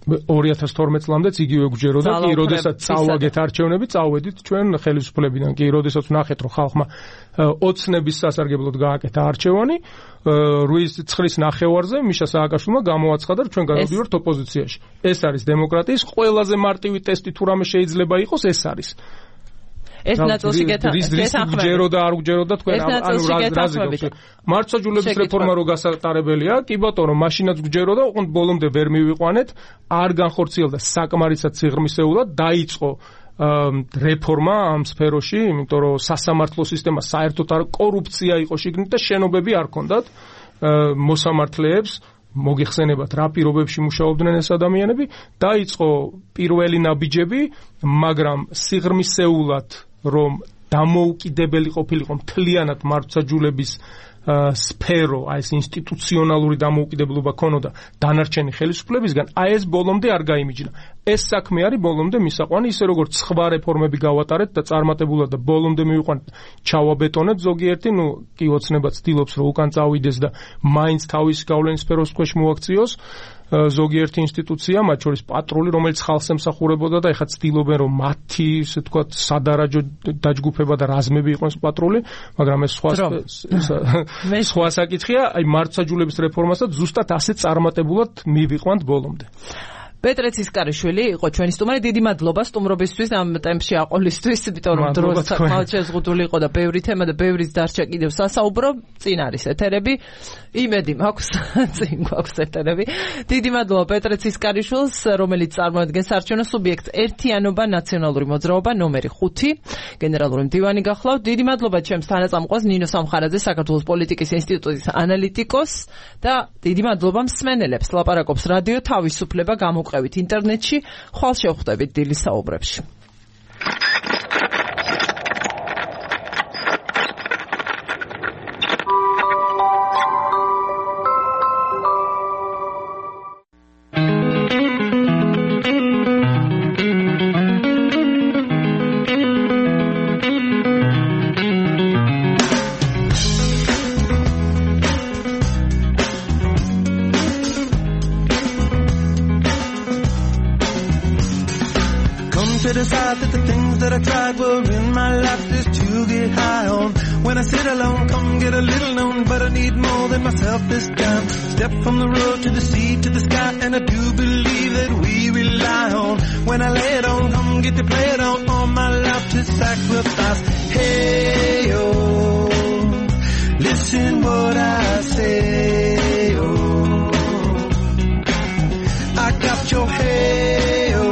2012 წლამდეც იგივე გვჯეროდა კი, როდესაც წავაგეთ არჩევნები, წავედით ჩვენ ხელისუფლებიდან კი, როდესაც ვნახეთ, რომ ხალხმა ოცნების სასარგებლოდ გააკეთა არჩევანი, 8-9 ნახევარზე მიშა სააკაშვილმა გამოაცხადა, რომ ჩვენ გადავდივართ ოპოზიციაში. ეს არის დემოკრატიის ყველაზე მარტივი ტესტი, თუ რამე შეიძლება იყოს, ეს არის. ეს ნაწილში გჯეროდა არ გჯეროდა თქვენ ანუ რაზი მართლმსაჯულების რეფორმა რო გასატარებელია კი ბატონო მაშინაც გჯეროდა ოღონდ ბოლომდე ვერ მივიყვანეთ არ განხორციელდა საკმარისად სიღრმისეულად დაიწყო რეფორმა ამ სფეროში იმიტომ რომ სასამართლო სისტემა საერთოდ არ კორუფცია იყო შიგნით და შენობები არ ქონდათ მოსამართლეებს მოგეხსენებათ რა პირობებში მუშაობდნენ ეს ადამიანები დაიწყო პირველი ნაბიჯები მაგრამ სიღრმისეულად რომ დამოუკიდებელი ყოფილიყო მთლიანად მართლმსაჯულების სფერო, აი ეს ინსტიტუციონალური დამოუკიდებლობა ქონოდა დანარჩენი ხელისუფლებისგან, აი ეს ბოლომდე არ გაიმიჯნა. ეს საქმე არის ბოლომდე მისაყვანი, ისე როგორც სხვა რეფორმები გავატარეთ და წარმატებულად და ბოლომდე მივიყვანეთ, ჩავაბეტონეთ ზოგიერთი, კი ოცნება ცდილობს რომ უკან წავიდეს და მაინც თავის გავლენის სფეროს ქვეშ მოაქციოს. ზოგიერთი ინსტიტუცია, მათ შორის პატრული, რომელიც ხალხს ემსახურებოდა და ეხლა ცდილობენ რომ მათი, ისე თქვა, სადარაჯო დაჯგუფება და რაზმები იყოს პატრული, მაგრამ ეს სხვა საკითხია, აი მართლმსაჯულების რეფორმასაც ზუსტად ასე წარმატებულად მივიყვანთ ბოლომდე. პეტრე ცისკარიშვილი იყო ჩვენი სტუმარი. დიდი მადლობა სტუმრობისთვის ამ ტემპში აყოლისთვის, იმიტომ რომ დრო საკმაოდ შეზღუდული იყო და ბევრი თემა და ბევრი დარჩა კიდევ სასაუბრო. წინ არის ეთერები. იმედი მაქვს, წინ გვაქვს ეთერები. დიდი მადლობა პეტრე ცისკარიშვილს, რომელიც წარმოადგენს არჩევნო სუბიექტს ერთიანობა ნაციონალური მოძრაობა ნომერი 5 გენერალური მდივანი გახლავთ. დიდი მადლობა ჩემს თანაწამყვას ნინო სამხარაძე, საქართველოს პოლიტიკის ინსტიტუტის ანალიტიკოს და დიდი მადლობა მსმენელებს. ლაპარაკობს რადიო თავისუფლება გამოყევით ინტერნეტში, ხვალ შევხვდებით დილის საუბრებში. Decide that the things that I tried were in my life just to get high on. When I sit alone, come get a little known, but I need more than myself this time. Step from the road to the sea to the sky, and I do believe that we rely on. When I lay it on, come get to play it on, all my life to sacrifice. Hey, oh, listen what I say, oh, I got your hey, oh.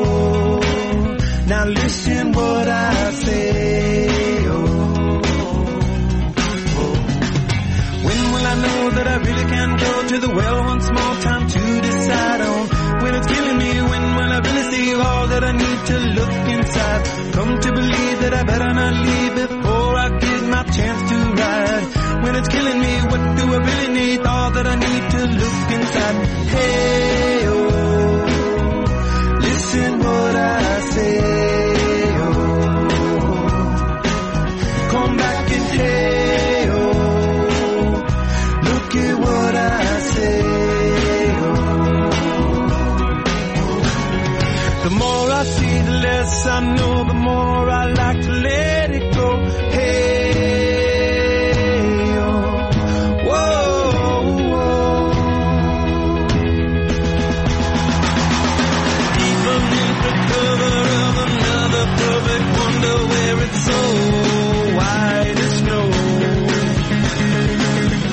Now listen what I say, oh, oh. When will I know that I really can go to the well once more? Time to decide on. When it's killing me, when will I really see all that I need to look inside? Come to believe that I better not leave before I get my chance to ride. When it's killing me, what do I really need? All that I need to look inside. Hey, oh, listen what I say. Hey, oh, look at what I say, oh. The more I see, the less I know, the more I like to let it go. Hey, oh, whoa, whoa. Even in the cover of another perfect wonder where it's so wide as snow,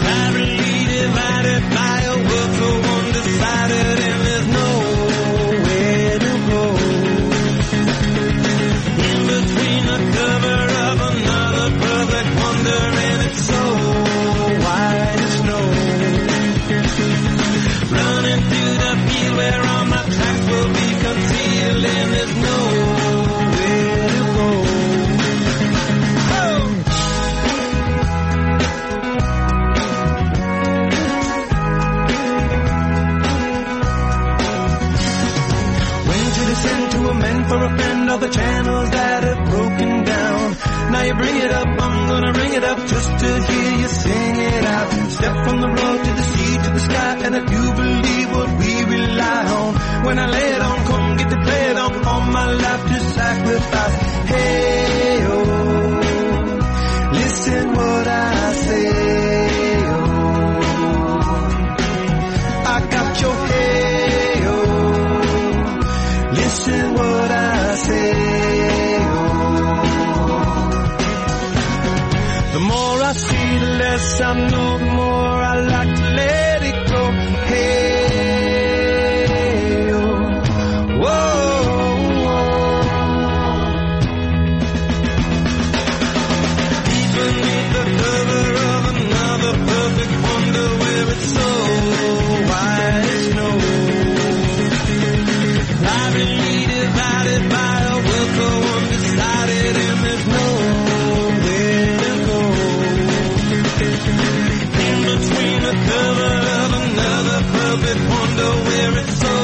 privately divided by a world so undecided, and there's nowhere to go. In between the cover of another perfect wonder, and it's so wide as snow, running through the field where all my tracks will be concealed, and there's nowhere to go. For a friend, all the channels that have broken down. Now you bring it up, I'm gonna ring it up just to hear you sing it out. Step from the road to the sea to the sky, and I do believe what we rely on. When I lay it on, declared I'm all my life to sacrifice. Hey, oh, listen what I say, oh, I got your hey, oh, listen what I say, oh. The more I see, the less I know, the more I like to let it go. Hey, oh, whoa, deep beneath the cover of another perfect wonder where it's so white snow, privately divided by a world so undecided, and there's nowhere to go. In between the cover of another perfect wonder where it's so